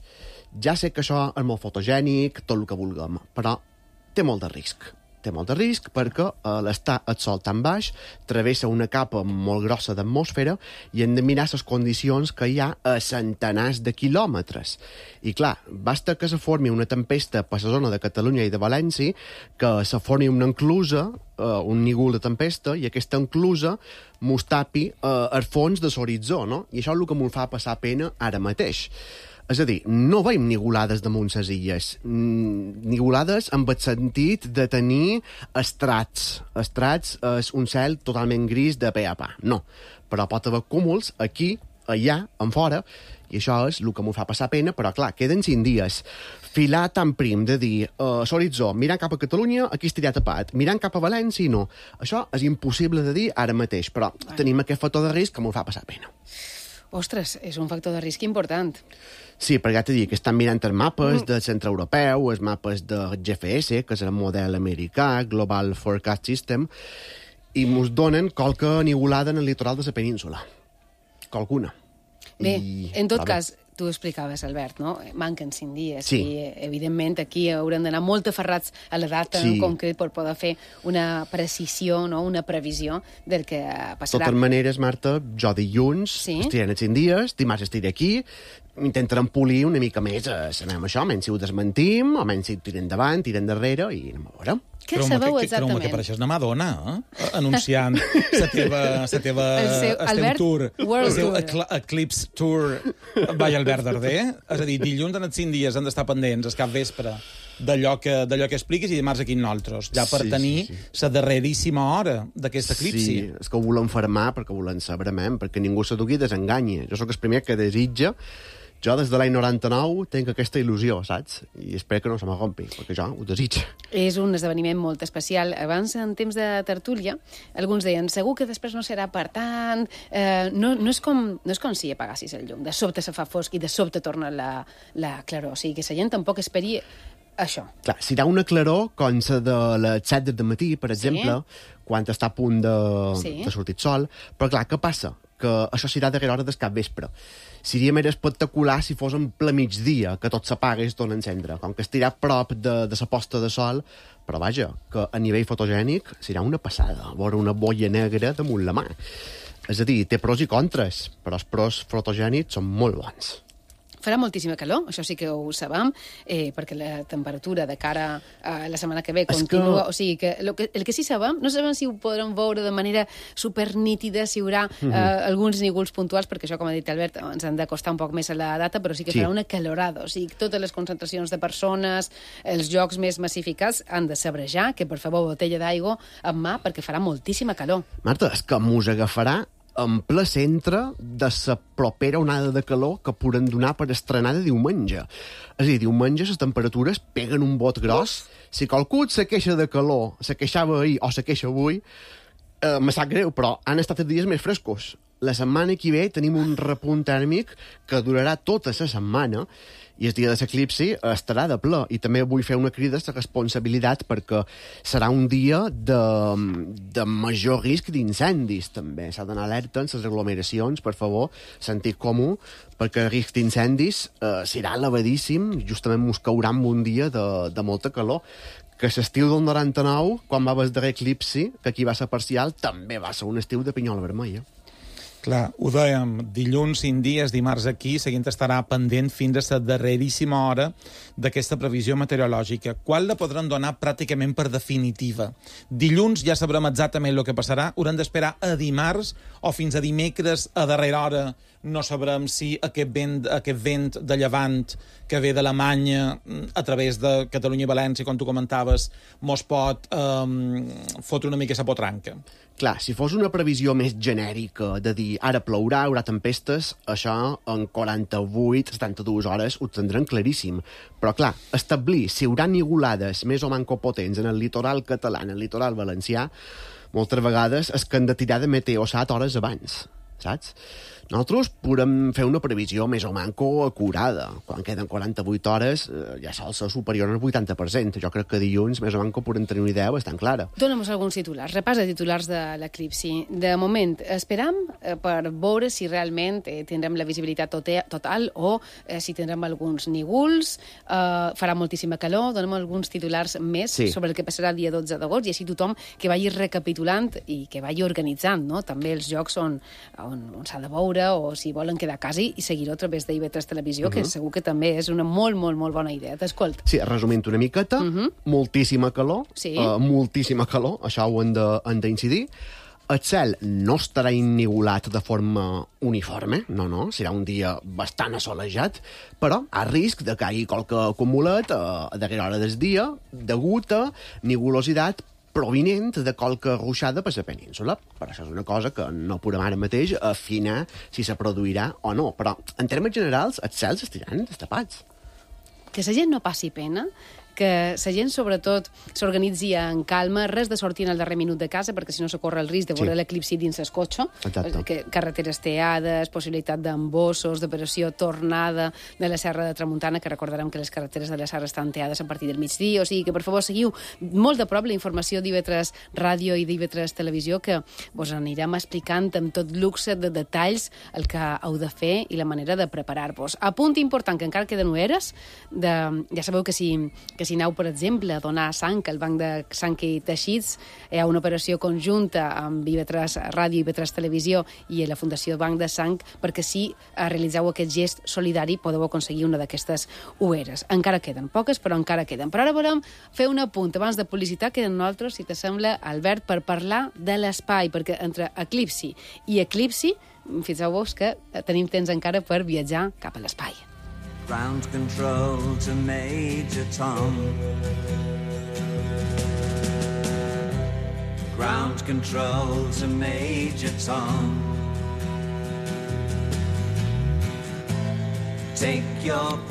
ja sé que això és molt fotogènic, tot el que vulguem, però té molt de risc. Té molt de risc perquè l'estar el sol tan baix travessa una capa molt grossa d'atmosfera i hem de mirar les condicions que hi ha a centenars de quilòmetres. I clar, basta que se formi una tempesta per la zona de Catalunya i de València, que se formi una enclusa, un nígol de tempesta, i aquesta enclusa mos tapi el fons de l'horitzó, no? I això és el que m'ho fa passar pena ara mateix. És a dir, no veiem nigolades damunt les illes. Nigolades amb el sentit de tenir estrats. Estrats és un cel totalment gris de pe a pa. No. Però pot haver cúmuls aquí, allà, en fora, i això és el que m'ho fa passar pena, però clar, queden 5 dies. Filar tan prim de dir l'horitzó, mirant cap a Catalunya, aquí estirà tapat, mirant cap a València, no. Això és impossible de dir ara mateix, però tenim aquest factor de risc que m'ho fa passar pena. Ostres, és un factor de risc important. Sí, perquè ja t'he dit que estan mirant els mapes del centre europeu, els mapes de GFS, que és el model americà, Global Forecast System, i ens donen qualque nigolada en el litoral de la península. Qualcuna. Bé, en tot cas, tu explicaves, Albert, no? Manquen 5 dies i, evidentment, aquí haurem d'anar molt aferrats a la data en concret per poder fer una precisió, no? Una previsió del que passarà. De totes maneres, Marta, jo dilluns estirem els 5 dies, dimarts estiré aquí, intentarem polir una mica més això, menys si ho desmentim, o menys si tirem endavant, tirem darrere, i anem a veure. Què sabeu exactament? Que pareixes una Madonna, anunciant la teva tour, el seu Eclipse Tour by Albert Darder. És a dir, dilluns en els 5 dies han d'estar pendents, el cap vespre, d'allò que expliquis, i dimarts aquí nosaltres, ja per tenir la darreríssima hora d'aquest eclipsi. Sí, és que ho volem fermar perquè volem saber, perquè ningú se dugui desenganya. Jo sóc el primer que desitja. Jo, des de l'any 99, tinc aquesta il·lusió, saps? I espero que no se m'agompi, perquè jo ho desitjo. És un esdeveniment molt especial. Abans, en temps de tertúlia, alguns deien, segur que després no serà per tant... No és com si apagassis el llum. De sobte se fa fosc i de sobte torna la claror. O sigui, que la gent tampoc esperi això. Clar, serà una claror com la de les 7 del matí, per exemple, quan està a punt de sortir el sol. Però clar, què passa? Que això serà darrere hora del capvespre. Seria més espectacular si fos en ple migdia, que tot s'apaga i es torna a encendre. Com que estirà prop de la posta de sol, però vaja, que a nivell fotogènic serà una passada, veure una boia negra damunt la mà. És a dir, té pros i contres, però els pros fotogènics són molt bons. Farà moltíssima calor, això sí que ho sabem, perquè la temperatura de cara a la setmana que ve continua... O sigui, que el que sí sabem, no sabem si ho podrem veure de manera supernítida, si hi haurà alguns nígols puntuals, perquè això, com ha dit Albert, ens han de costar un poc més a la data, però sí que farà una calorada. O sigui, totes les concentracions de persones, els jocs més massificats han de sabrejar, que per favor, botella d'aigua en mà, perquè farà moltíssima calor. Marta, és que mos agafarà en ple centre de la propera onada de calor que podran donar per estrenar de diumenge. És a dir, diumenge les temperatures peguen un bot gros. Si qualcú se queixa de calor, se queixava ahir o se queixa avui, me sap greu, però han estat els dies més frescos. La setmana que ve tenim un repunt tèrmic que durarà tota la setmana i el dia de l'eclipsi estarà de ple. I també vull fer una crida a la responsabilitat perquè serà un dia de major risc d'incendis, també. S'ha d'anar alerta en les aglomeracions, per favor, sentit comú, perquè el risc d'incendis serà elevadíssim, justament mos caurà en un dia de molta calor. Que l'estiu del 99, quan va haver el darrer eclipsi, que aquí va ser parcial, també va ser un estiu de pinyola vermella. Clar, ho dèiem, dilluns 5 dies, dimarts aquí, seguint estarà pendent fins a la darreríssima hora d'aquesta previsió meteorològica. Quan la podran donar pràcticament per definitiva? Dilluns ja sabrem exactament el que passarà, haurem d'esperar a dimarts o fins a dimecres a darrera hora no sabrem si aquest vent de llevant que ve d'Alemanya a través de Catalunya i València, com tu comentaves, mos pot fotre una mica la potranca. Clar, si fos una previsió més genèrica de dir ara plourà, hi haurà tempestes, això en 48-72 hores ho tindran claríssim. Però clar, establir si hi haurà nigulades més o manco potents en el litoral català, en el litoral valencià, moltes vegades és que han de tirar de Meteosat hores abans, saps? Nosaltres podem fer una previsió més o manco acurada. Quan queden 48 hores ja sol ser superior al 80%. Jo crec que dilluns més o manco podem tenir una idea bastant clara. Dóna'm alguns titulars. Repàs de titulars de l'eclipsi. De moment, esperam per veure si realment tindrem la visibilitat total o si tindrem alguns nígols. Farà moltíssima calor. Dóna'm alguns titulars més sobre el que passarà el dia 12 d'agost i així tothom que vagi recapitulant i que vagi organitzant, no? També els jocs on s'ha de veure o si volen quedar a casa i seguir-ho a través d'IV3 Televisió, que segur que també és una molt, molt, molt bona idea. T'escolt. Sí, resumint una miqueta, moltíssima calor, moltíssima calor, això ho hem d'incidir. El cel no estarà innigulat de forma uniforme, no, serà un dia bastant assolejat, però a risc de que hi hagi qualque acumulat a darrera hora del dia, degut a nigulositat provinent de qualque ruixada per la península. Per això és una cosa que no podem ara mateix afinar si se produirà o no. Però, en termes generals, els cels estiran destapats. Que la gent no passi pena, que la gent, sobretot, s'organitzi en calma, res de sortir en el darrer minut de casa, perquè si no se corre el risc de veure l'eclipsi dins el cotxe, carreteres teades, possibilitat d'embossos, d'operació tornada de la Serra de Tramuntana, que recordarem que les carreteres de la Serra estan teades a partir del migdia, o sigui que, per favor, seguiu molt de prop la informació d'IV3 Ràdio i d'IV3 Televisió, que vos anirem explicant amb tot luxe de detalls el que heu de fer i la manera de preparar-vos. A punt important, que encara queden hores, ja sabeu que si aneu, per exemple, a donar sang al Banc de Sang i Teixits, hi ha una operació conjunta amb IV3 Ràdio i IV3 Televisió i la Fundació Banc de Sang, perquè si realitzeu aquest gest solidari podeu aconseguir una d'aquestes ueres. Encara queden poques, però encara queden. Però ara volem fer un apunt abans de publicitat, queden nosaltres, si t'assembla, Albert, per parlar de l'espai, perquè entre eclipsi i eclipsi, fixeu-vos que tenim temps encara per viatjar cap a l'espai. Ground control to Major Tom. Ground control to Major Tom.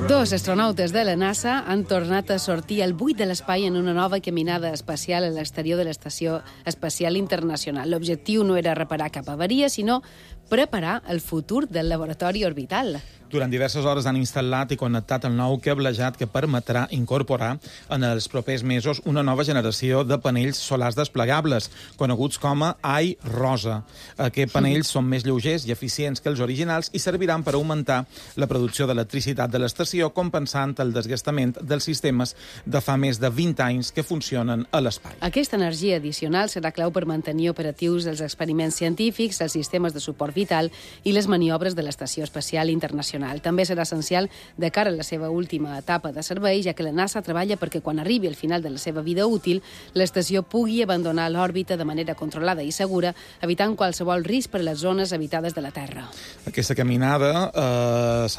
Dos astronautes de la NASA han tornat a sortir al buit de l'espai en una nova caminada espacial a l'exterior de l'Estació Espacial Internacional. L'objectiu no era reparar cap avaria, sinó preparar el futur del laboratori orbital. Durant diverses hores han instal·lat i connectat el nou cablejat que permetrà incorporar en els propers mesos una nova generació de panells solars desplegables, coneguts com a iRosa. Aquests panells són més lleugers i eficients que els originals i serviran per augmentar la producció d'electricitat de l'estació, compensant el desgastament dels sistemes de fa més de 20 anys que funcionen a l'espai. Aquesta energia addicional serà clau per mantenir operatius els experiments científics, els sistemes de suport vital i les maniobres de l'Estació Espacial Internacional. També serà essencial de cara a la seva última etapa de servei, ja que la NASA treballa perquè quan arribi al final de la seva vida útil, l'estació pugui abandonar l'òrbita de manera controlada i segura, evitant qualsevol risc per a les zones habitades de la Terra. Aquesta caminada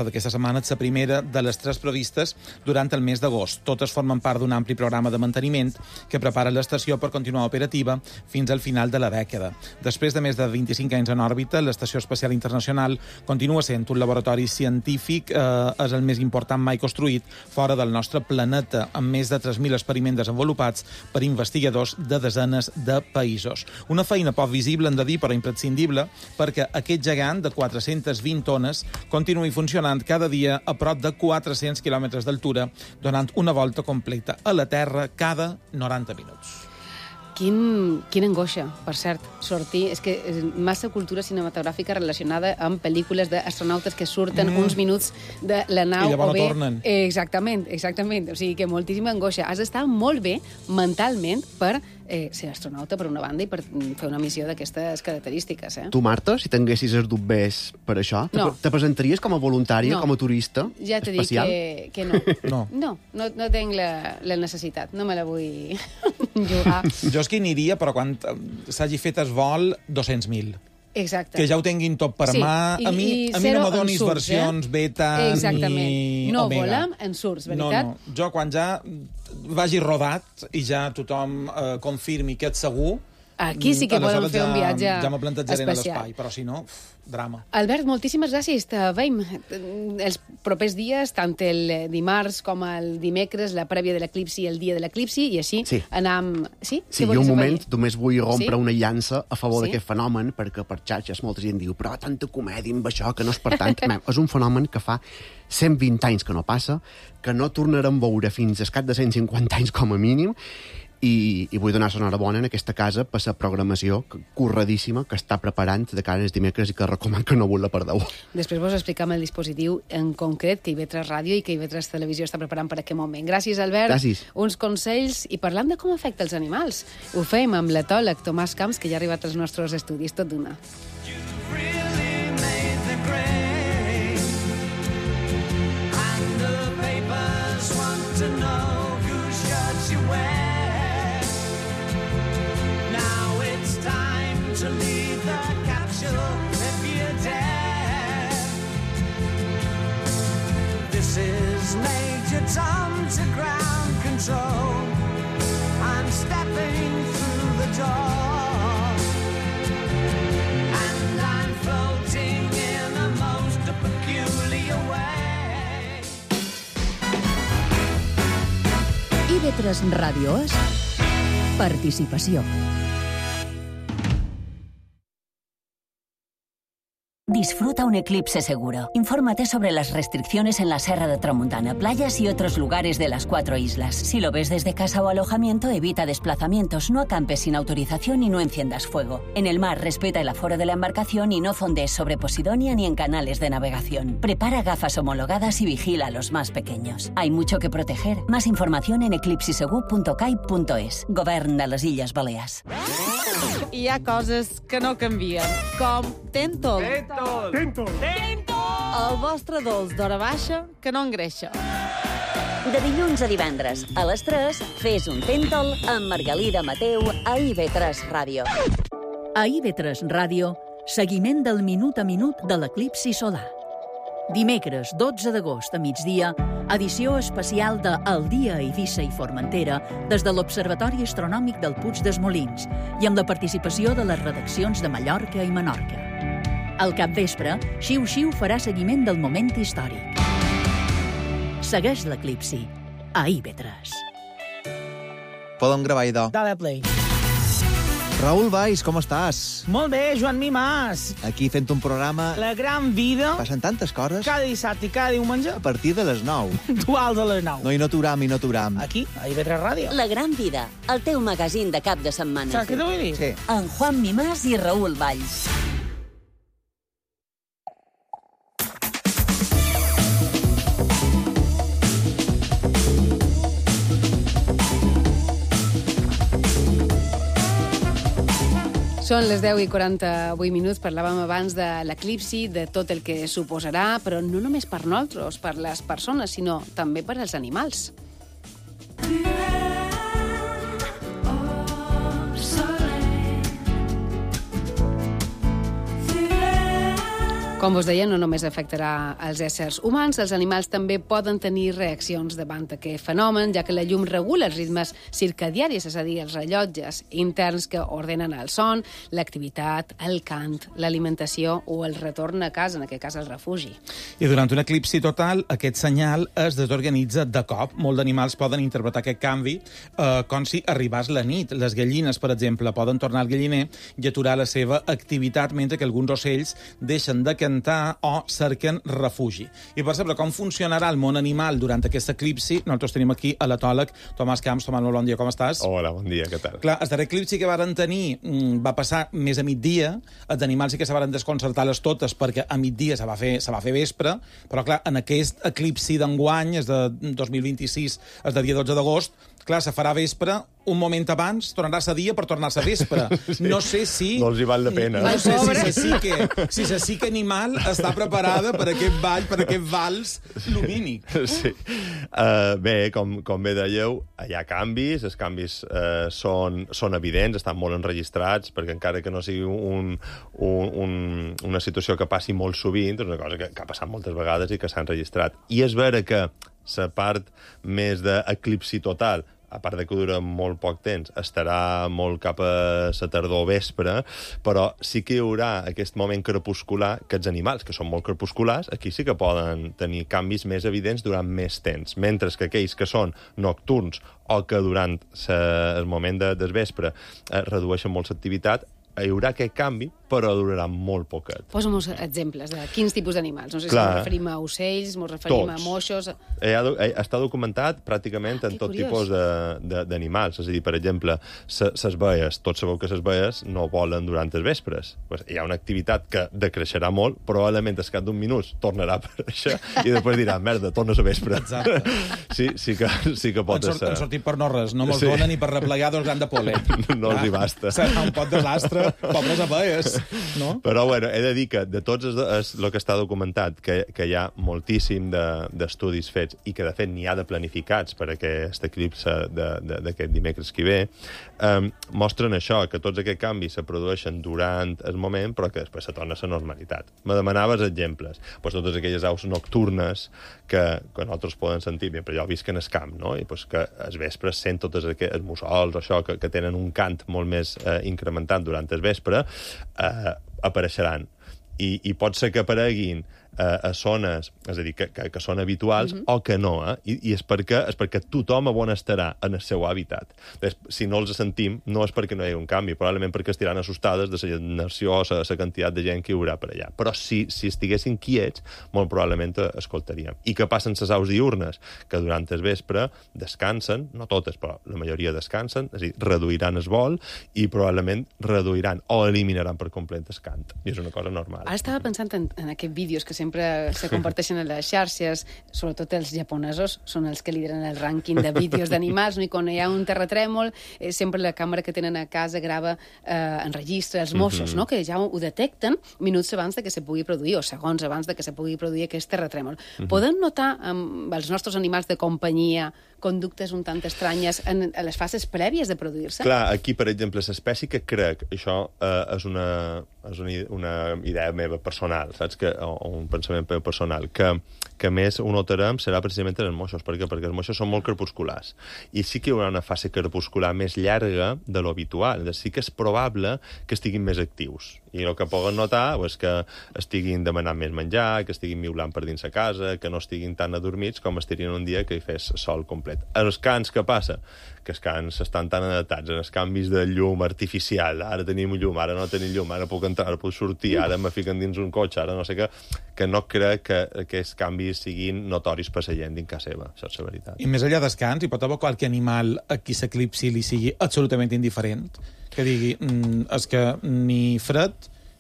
d'aquesta setmana és la primera de les 3 previstes durant el mes d'agost. Totes formen part d'un ampli programa de manteniment que prepara l'estació per continuar operativa fins al final de la dècada. Després de més de 25 anys en òrbita, l'Estació Espacial Internacional continua sent un laboratori científic, és el més important mai construït fora del nostre planeta, amb més de 3.000 experiments desenvolupats per investigadors de desenes de països. Una feina poc visible, hem de dir, però imprescindible, perquè aquest gegant de 420 tones continuï funcionant cada dia a prop de 400 quilòmetres d'altura, donant una volta completa a la Terra cada 90 minuts. Quina angoixa, per cert, sortir... És que massa cultura cinematogràfica relacionada amb pel·lícules d'astronautes que surten uns minuts de la nau i llavors o bé... no tornen. Exactament. O sigui que moltíssima angoixa. Has d'estar molt bé mentalment per ser astronauta, per una banda, i per fer una missió d'aquestes característiques. Tu, Marta, si tinguessis els dubbers per això, No. te presentaries com a voluntària, No. com a turista Ja t'he dit espacial? que no. No. No tinc la necessitat. No me la vull jugar. Jo és que aniria, però quan s'hagi fet el vol, 200.000. Exacte. Que ja ho tinguin tot per Sí, mà. A mi no me donis versions beta Exactament. ni No omega. volem en surts, veritat? No. Jo, quan ja vagi rodat i ja tothom confirmi que ets segur... Aquí sí que podem fer un viatge ja me plantejaré a especial. l'espai, però si no, drama. Albert, moltíssimes gràcies. Te veiem els propers dies, tant el dimarts com el dimecres, la prèvia de l'eclipsi i el dia de l'eclipsi, i així anam... Sí? Sí, Què i un volies moment afegir? només vull rompre Sí? una llança a favor Sí? d'aquest fenomen, perquè per xarxes molta gent diu però tanta comèdia amb això, que no és per tant. És un fenomen que fa 120 anys que no passa, que no tornarem a veure fins al cap de 150 anys com a mínim, i vull donar l'enhorabona en aquesta casa per la programació curradíssima que està preparant de cara als dimecres i que recomano que no vos la perdeu. Després vos explicam el dispositiu en concret que IB3 Ràdio i que IB3 Televisió està preparant per aquest moment. Gràcies, Albert. Gràcies. Uns consells i parlant de com afecta els animals. Ho fem amb l'etòleg Tomàs Camps, que ja ha arribat als nostres estudis. Tot d'una. To leave the capsule if you dare. This is Major Tom to ground control. I'm stepping through the door, and I'm floating in a most peculiar way. IB3 Ràdio és participació. Disfruta un eclipse seguro. Infórmate sobre las restricciones en la Serra de Tramuntana, playas y otros lugares de las 4 islas. Si lo ves desde casa o alojamiento, evita desplazamientos, no acampes sin autorización y no enciendas fuego. En el mar, respeta el aforo de la embarcación y no fondees sobre Posidonia ni en canales de navegación. Prepara gafas homologadas y vigila a los más pequeños. Hay mucho que proteger. Más información en eclipsisegur.cai.es. Govern de les Illes Balears. Hi ha coses que no canvien, com Tentol. Tentol. El vostre dolç d'hora baixa que no engreixa. De dilluns a divendres, a les 3, fes un Tentol amb Margalida Mateu a IB3 Ràdio. A IB3 Ràdio, seguiment del minut a minut de l'eclipsi solar. Dimecres 12 d'agost a migdia, edició especial de El dia a Eivissa i Formentera des de l'Observatori Astronòmic del Puig dels Molins i amb la participació de les redaccions de Mallorca i Menorca. Al capvespre, Xiu Xiu farà seguiment del moment històric. Segueix l'eclipsi a IB3. Podem gravar, idò. Dale play. Raül Valls, com estàs? Molt bé, Joan Mimàs. Aquí fent un programa... La gran vida. Passen tantes coses. Cada dissabte i cada diumenge. A partir de les 9. Dual de les 9. No, i no t'uram, i no t'uram. Aquí, a IB3 Ràdio. La gran vida, el teu magazín de cap de setmana. Saps què t'ho vull dir? Sí. En Juan Mimàs i Raül Valls. Són les 10:48 minuts. Parlàvem abans de l'eclipsi, de tot el que suposarà, però no només per nosaltres, per les persones, sinó també per als animals. Com vos deia, no només afectarà els éssers humans, els animals també poden tenir reaccions davant d'aquest fenomen, ja que la llum regula els ritmes circadiaris, és a dir, els rellotges interns que ordenen el son, l'activitat, el cant, l'alimentació o el retorn a casa, en aquest cas el refugi. I durant un eclipsi total, aquest senyal es desorganitza de cop. Molts d'animals poden interpretar aquest canvi com si arribés la nit. Les gallines, per exemple, poden tornar al galliner i aturar la seva activitat, mentre que alguns ocells deixen de cantar o cerquen refugi. I per saber com funcionarà el món animal durant aquest eclipsi, nosaltres tenim aquí a l'etòleg Tomàs Camps. Tomàs, molt bon dia, com estàs? Hola, bon dia, què tal? Clar, el darrer eclipsi que varen tenir va passar més a migdia. Els animals sí que se varen desconcertar les totes perquè a migdia se va fer vespre, però clar, en aquest eclipsi d'enguany, és de 2026, és de dia 12 d'agost, clar, se farà vespre, un moment abans tornarà a dia per tornar-se a vespre. Sí. No sé si... No els hi val la pena. No sé si la psique animal està preparada per aquest ball, per aquest vals lumínic. Sí. Bé, com bé dèieu, hi ha canvis, els canvis són evidents, estan molt enregistrats, perquè encara que no sigui una situació que passi molt sovint, és una cosa que ha passat moltes vegades i que s'ha enregistrat. I és vera que la part més d'eclipsi total, a part de que dura molt poc temps, estarà molt cap a la tardor vespre, però sí que hi haurà aquest moment crepuscular que els animals, que són molt crepusculars, aquí sí que poden tenir canvis més evidents durant més temps, mentre que aquells que són nocturns o que durant el moment del vespre redueixen molt l'activitat, hi haurà aquest canvi, però durarà molt poquet. Posa'm exemples de quins tipus d'animals. No sé si ens referim a ocells, ens referim a moixos... Està documentat pràcticament en tot tipus d'animals. És a dir, per exemple, les baies, tots sabeu que les baies no volen durant els vespres. Hi ha una activitat que decreixerà molt, probablement al cap d'un minut tornarà a aparèixer i després dirà, merda, tornes a vespre. Exacte. Sí que pot ser. Han sortit per no res, no mos donen ni per replegar 2 grans de pol·len. No els hi basta. Serà un pot desastre, pobres abelles. No? Però, bueno, he de dir que de tots el que està documentat, que hi ha moltíssim d'estudis fets i que, de fet, n'hi ha de planificats per aquest eclipsi d'aquest dimecres que ve, mostren això, que tots aquests canvis se produeixen durant el moment, però que després se torna a la normalitat. Me demanaves exemples. Totes aquelles aus nocturnes que nosaltres poden sentir, però jo visc en el camp, no? I que als vespres sent tots els mussols o això, que tenen un cant molt més incrementat durant el vespre, apareixeran. I pot ser que apareguin a zones, és a dir, que són habituals o que no, i és perquè tothom on estarà en el seu hàbitat. Si no els sentim, no és perquè no hi hagi un canvi, probablement perquè estiran assustades de la generació o la quantitat de gent que hi haurà per allà. Però si estiguessin quiets, molt probablement escoltaríem. I què passen les aus diurnes? Que durant el vespre descansen, no totes, però la majoria descansen, és a dir, reduiran el vol i probablement reduiran o eliminaran per complet el cant. I és una cosa normal. Ara estava pensant en aquests vídeos que sempre se comparteixen a les xarxes, sobretot els japonesos són els que lideren el rànquing de vídeos d'animals, i quan hi ha un terratrèmol sempre la càmera que tenen a casa grava, enregistra els moixos, no? Que ja ho detecten minuts abans de que se pugui produir, o segons abans de que se pugui produir aquest terratrèmol. Podem notar amb els nostres animals de companyia conductes un tant estranyes a les fases prèvies de produir-se? Clar, aquí, per exemple, l'espècie que crec, això és una idea meva personal, saps? O un pensament personal, que més ho notarem serà precisament en els moixos. Per què? Perquè els moixos són molt crepusculars. I sí que hi haurà una fase crepuscular més llarga de l'habitual. Sí que és probable que estiguin més actius. I el que poden notar és que estiguin demanant més menjar, que estiguin miulant per dins la casa, que no estiguin tan adormits com estarien un dia que hi fes sol complet. Els cants, què passa? Que els cants estan tan adaptats en els canvis de llum artificial. Ara tenim llum, ara no tenim llum, ara puc entrar, ara puc sortir, ara me fiquen dins un cotxe, ara no sé què, que no crec que aquests canvis siguin notoris per la gent dins casa seva. Això és la veritat. I més enllà dels cants, hi pot haver qualque animal a qui s'eclipsi li sigui absolutament indiferent? Que digui, és que ni fred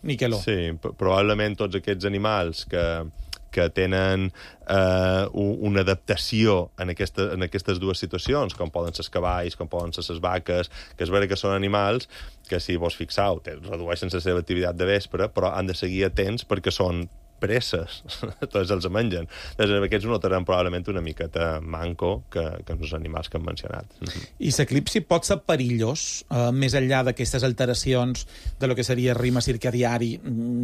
ni calor. Sí, probablement tots aquests animals que que tenen una adaptació en aquestes dues situacions, com poden ser els cavalls, com poden ser les vaques, que és vera que són animals que, si vos fixeu, redueixen la seva activitat de vespre, però han de seguir atents perquè són presses, tots els mengen. Doncs aquests ho notaran probablement una miqueta manco que els animals que hem mencionat. I l'eclipsi pot ser perillós, més enllà d'aquestes alteracions de lo que seria el ritme circadiari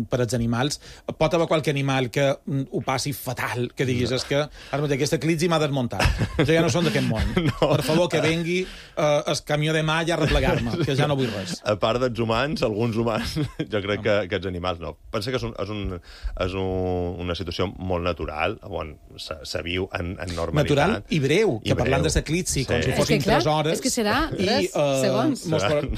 per als animals? Pot haver qualque animal que ho passi fatal, que diguis, és que ara mateix aquest eclipsi m'ha desmuntat. Jo ja no som d'aquest món. Per favor, que vengui el camió de mà ja a replegar-me, que ja no vull res. A part dels humans, alguns humans, jo crec que els animals no. Pensa que és una situació molt natural, on se viu en normalitat. Natural i breu, que parlant de l'eclipsi, com si fossin 3 hores... És que serà segons.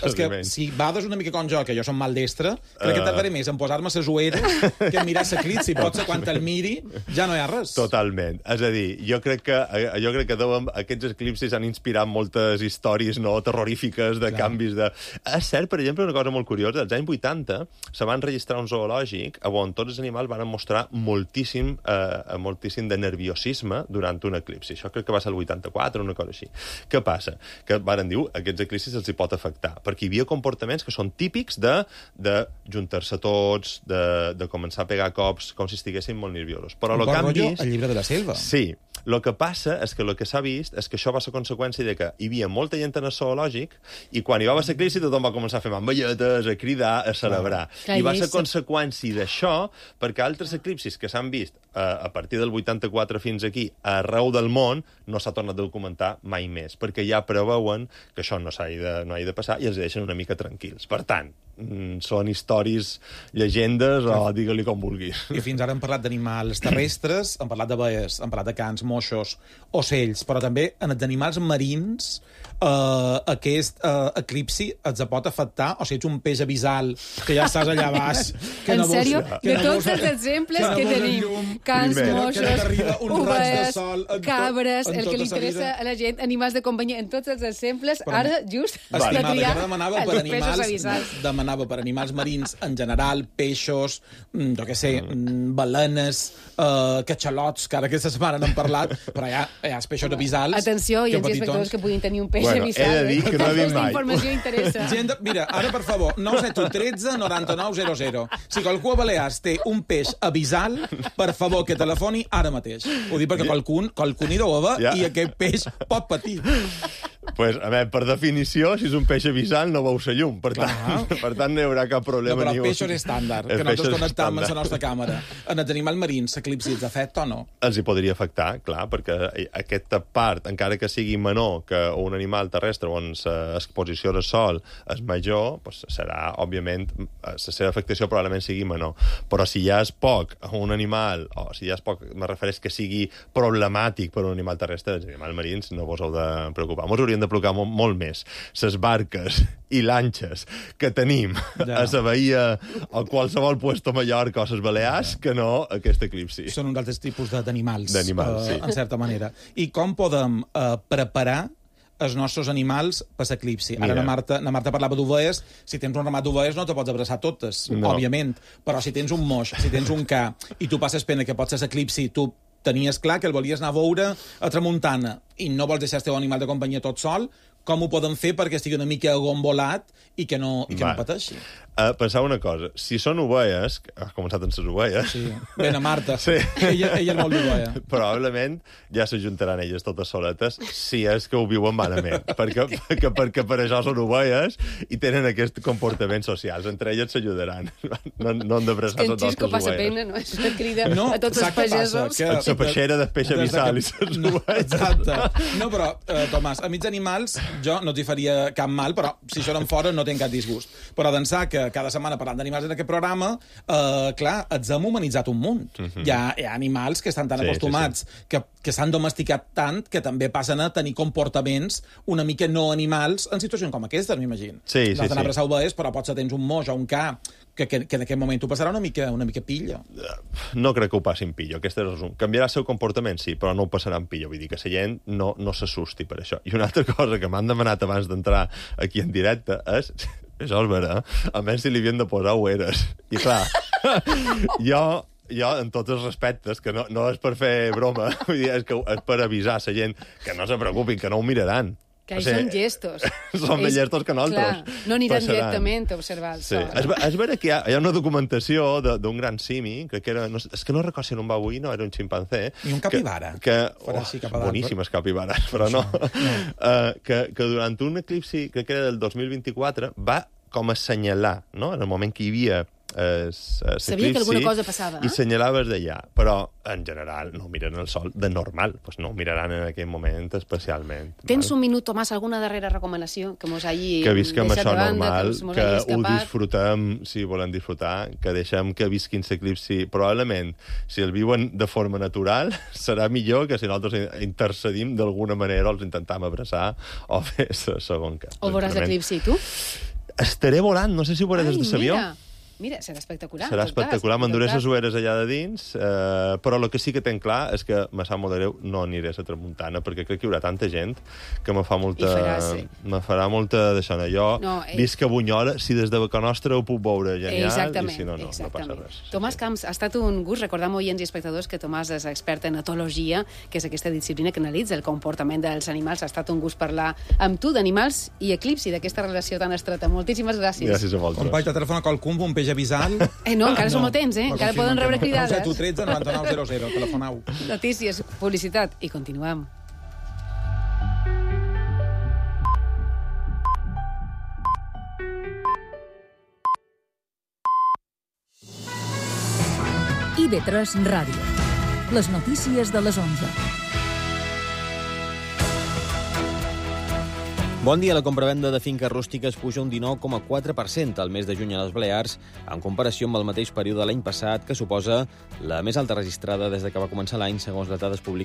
És que si vades una mica com jo, que jo som maldestre, crec que tardaré més en posar-me les ulleres que en mirar l'eclipsi. Potser quan el miri ja no hi ha res. Totalment. És a dir, jo crec que aquests eclipsis han inspirat moltes històries terrorífiques de canvis de... És cert, per exemple, una cosa molt curiosa, als anys 80 se van registrar un zoològic on tots els animals van mostrar moltíssim de nerviosisme durant un eclipsi. Això crec que va ser el 84, una cosa així. Què passa? Que varen dir, aquests eclipsis els hi pot afectar, perquè hi havia comportaments que són típics de juntar-se tots, de començar a pegar cops com si estiguessin molt nerviosos. Però el que han vist... El llibre de la selva. Sí. El que passa és que el que s'ha vist és que això va ser conseqüència de que hi havia molta gent en el zoològic i quan hi va haver l'eclipsi tothom va començar a fer mamballetes, a cridar, a celebrar. I va ser conseqüència d'això perquè altres eclipsis que s'han vist a partir del 84 fins aquí arreu del món no s'ha tornat a documentar mai més, perquè ja preveuen que això no ha de passar i els deixen una mica tranquils. Per tant, són històries, llegendes o digue-li com vulguis. I fins ara hem parlat d'animals terrestres, hem parlat d'abelles, hem parlat de cans, moixos, ocells, però també en els animals marins aquest eclipsi et pot afectar, o si ets un peix abissal que ja estàs allà baix... En sèrio? De tots els exemples que tenim, cans, moixos, ovelles, cabres, el que li interessa a la gent, animals de companyia, en tots els exemples, ara just has de triar els peixos abissals. Demanava per animals marins en general, peixos, jo què sé, balenes, catxalots, que ara aquesta setmana n'hem parlat, però hi ha els peixos abissals... Atenció, hi ha els espectadors que puguin tenir un peix abissal. He de dir que no he vist mai. Aquesta informació interessa. Mira, ara, per favor, 971 13 99 00. Si qualcú a Balears té un peix abissal, per favor, que telefoni ara mateix. Ho dic perquè qualcú n'hi deu haver i aquest peix pot patir. Pues, a veure, per definició, si és un peix abissal, no veu la llum. Per tant, no hi haurà cap problema. No, però peixos estàndard, que nosaltres connectam amb la nostra càmera. En els animals marins, l'eclipsi els afecta o no? Els hi podria afectar, clar, perquè aquesta part, encara que sigui menor que un animal terrestre on l'exposició al sol és major, doncs serà, òbviament, la seva afectació probablement sigui menor. Però si ja és poc un animal, o si ja és poc, me refereix que sigui problemàtic per un animal terrestre, els animals marins no vos heu de preocupar. Mos haurien de preocupar molt més les barques i lanxes que tenim a la bahia o qualsevol puesto a Mallorca o a les Balears que no aquest eclipsi. Són un altres tipus d'animals, sí. En certa manera. I com podem preparar els nostres animals per l'eclipsi? Ara na Marta parlava d'ovelles. Si tens un ramat d'ovelles no te pots abraçar totes, òbviament. Però si tens un moix, si tens un ca, i tu passes pena que pot ser l'eclipsi, tu tenies clar que el volies anar a veure a tramuntana i no vols deixar el teu animal de companyia tot sol, com ho podem fer perquè estigui una mica agombolat i que no pateixi? Pensava una cosa. Si són ovelles, has començat amb les ovelles... Sí, ben a Marta. Sí. Ella és molt d'ovella. Probablement ja s'ajuntaran elles totes soletes si és que ho viuen malament. perquè per això són ovelles i tenen aquests comportaments socials. Entre elles s'ajudaran. No han d'abraçar tots els ovelles. passa pena, no? És una crida a tots els pagesos. La peixera de peix abissal i les ovelles. Exacte. No, però, Tomàs, a mig animals jo no t'hi faria cap mal, però si són fora no tinc cap disgust. Però d'ençà que cada setmana parlant d'animals en aquest programa, clar, ens hem humanitzat un munt. Hi ha animals que estan tan acostumats, que s'han domesticat tant, que també passen a tenir comportaments una mica no animals en situacions com aquestes, m'imagino. Sí. D'anar a abraçar ovelles, però potser tens un moix o un ca que en aquest moment tu passarà una mica pillo. No crec que ho passin pillo, aquest és el resum. Canviarà el seu comportament, sí, però no ho passaran pillo. Vull dir que la gent no s'assusti per això. I una altra cosa que m'han demanat abans d'entrar aquí en directe és... Això és vera, a més si li havien de posar ueres. I clar, jo jo, en tots els respectes, que no és per fer broma, vull dir, és per avisar la gent que no se preocupin, que no ho miraran. Que són gestos. Són més gestos que nosaltres. Clar, no aniran directament a observar el sol. És vera que hi ha una documentació d'un gran simi, crec que era... És que no recordo si era un babuí, no, era un ximpancé. I un capibara. Boníssimes capibares, però no. Que durant un eclipsi, crec que era del 2024, va com assenyalar, no?, en el moment que hi havia sabia que alguna cosa passava, i senyalaves d'allà, però en general no miren el sol de normal, pues no ho miraran en aquell moment especialment. Tens un minut, Tomàs, alguna darrera recomanació que mos hagi que visquem deixat això de banda, normal, que ho disfrutem si volem disfrutar, que deixem que visquin l'eclipsi. Probablement, si el viuen de forma natural, serà millor que si nosaltres intercedim d'alguna manera o els intentam abraçar o fer segon cas. O veuràs l'eclipsi, tu? Estaré volant, no sé si ho veuré des de l'avió. Mira, serà espectacular. Serà espectacular, m'enduré les ulleres allà de dins, però el que sí que tenc clar és que me sap molt de greu, no aniré a la tramuntana, perquè crec que hi haurà tanta gent que me farà molta d'això. Jo visc a Bunyola, si des de Beca Nostra ho puc veure genial, i si no, no passa res. Tomàs Camps, ha estat un gust. Recordem, oients i espectadors, que Tomàs és expert en etologia, que és aquesta disciplina que analitza el comportament dels animals. Ha estat un gust parlar amb tu d'animals i eclipsi, d'aquesta relació tan estreta. Moltíssimes gràcies. Gràcies a vosaltres. Company, te telefona qualcun, un peix avisant. No, encara som a temps, encara poden rebre cridades. 9 13 99 00, telefonau. Notícies, publicitat i continuem. IB3 Ràdio. Les notícies de les 11. Bon dia. La compravenda de finques rústiques puja un 19,4% al mes de juny a les Balears, en comparació amb el mateix període de l'any passat, que suposa la més alta registrada des que va començar l'any, segons les dades publicades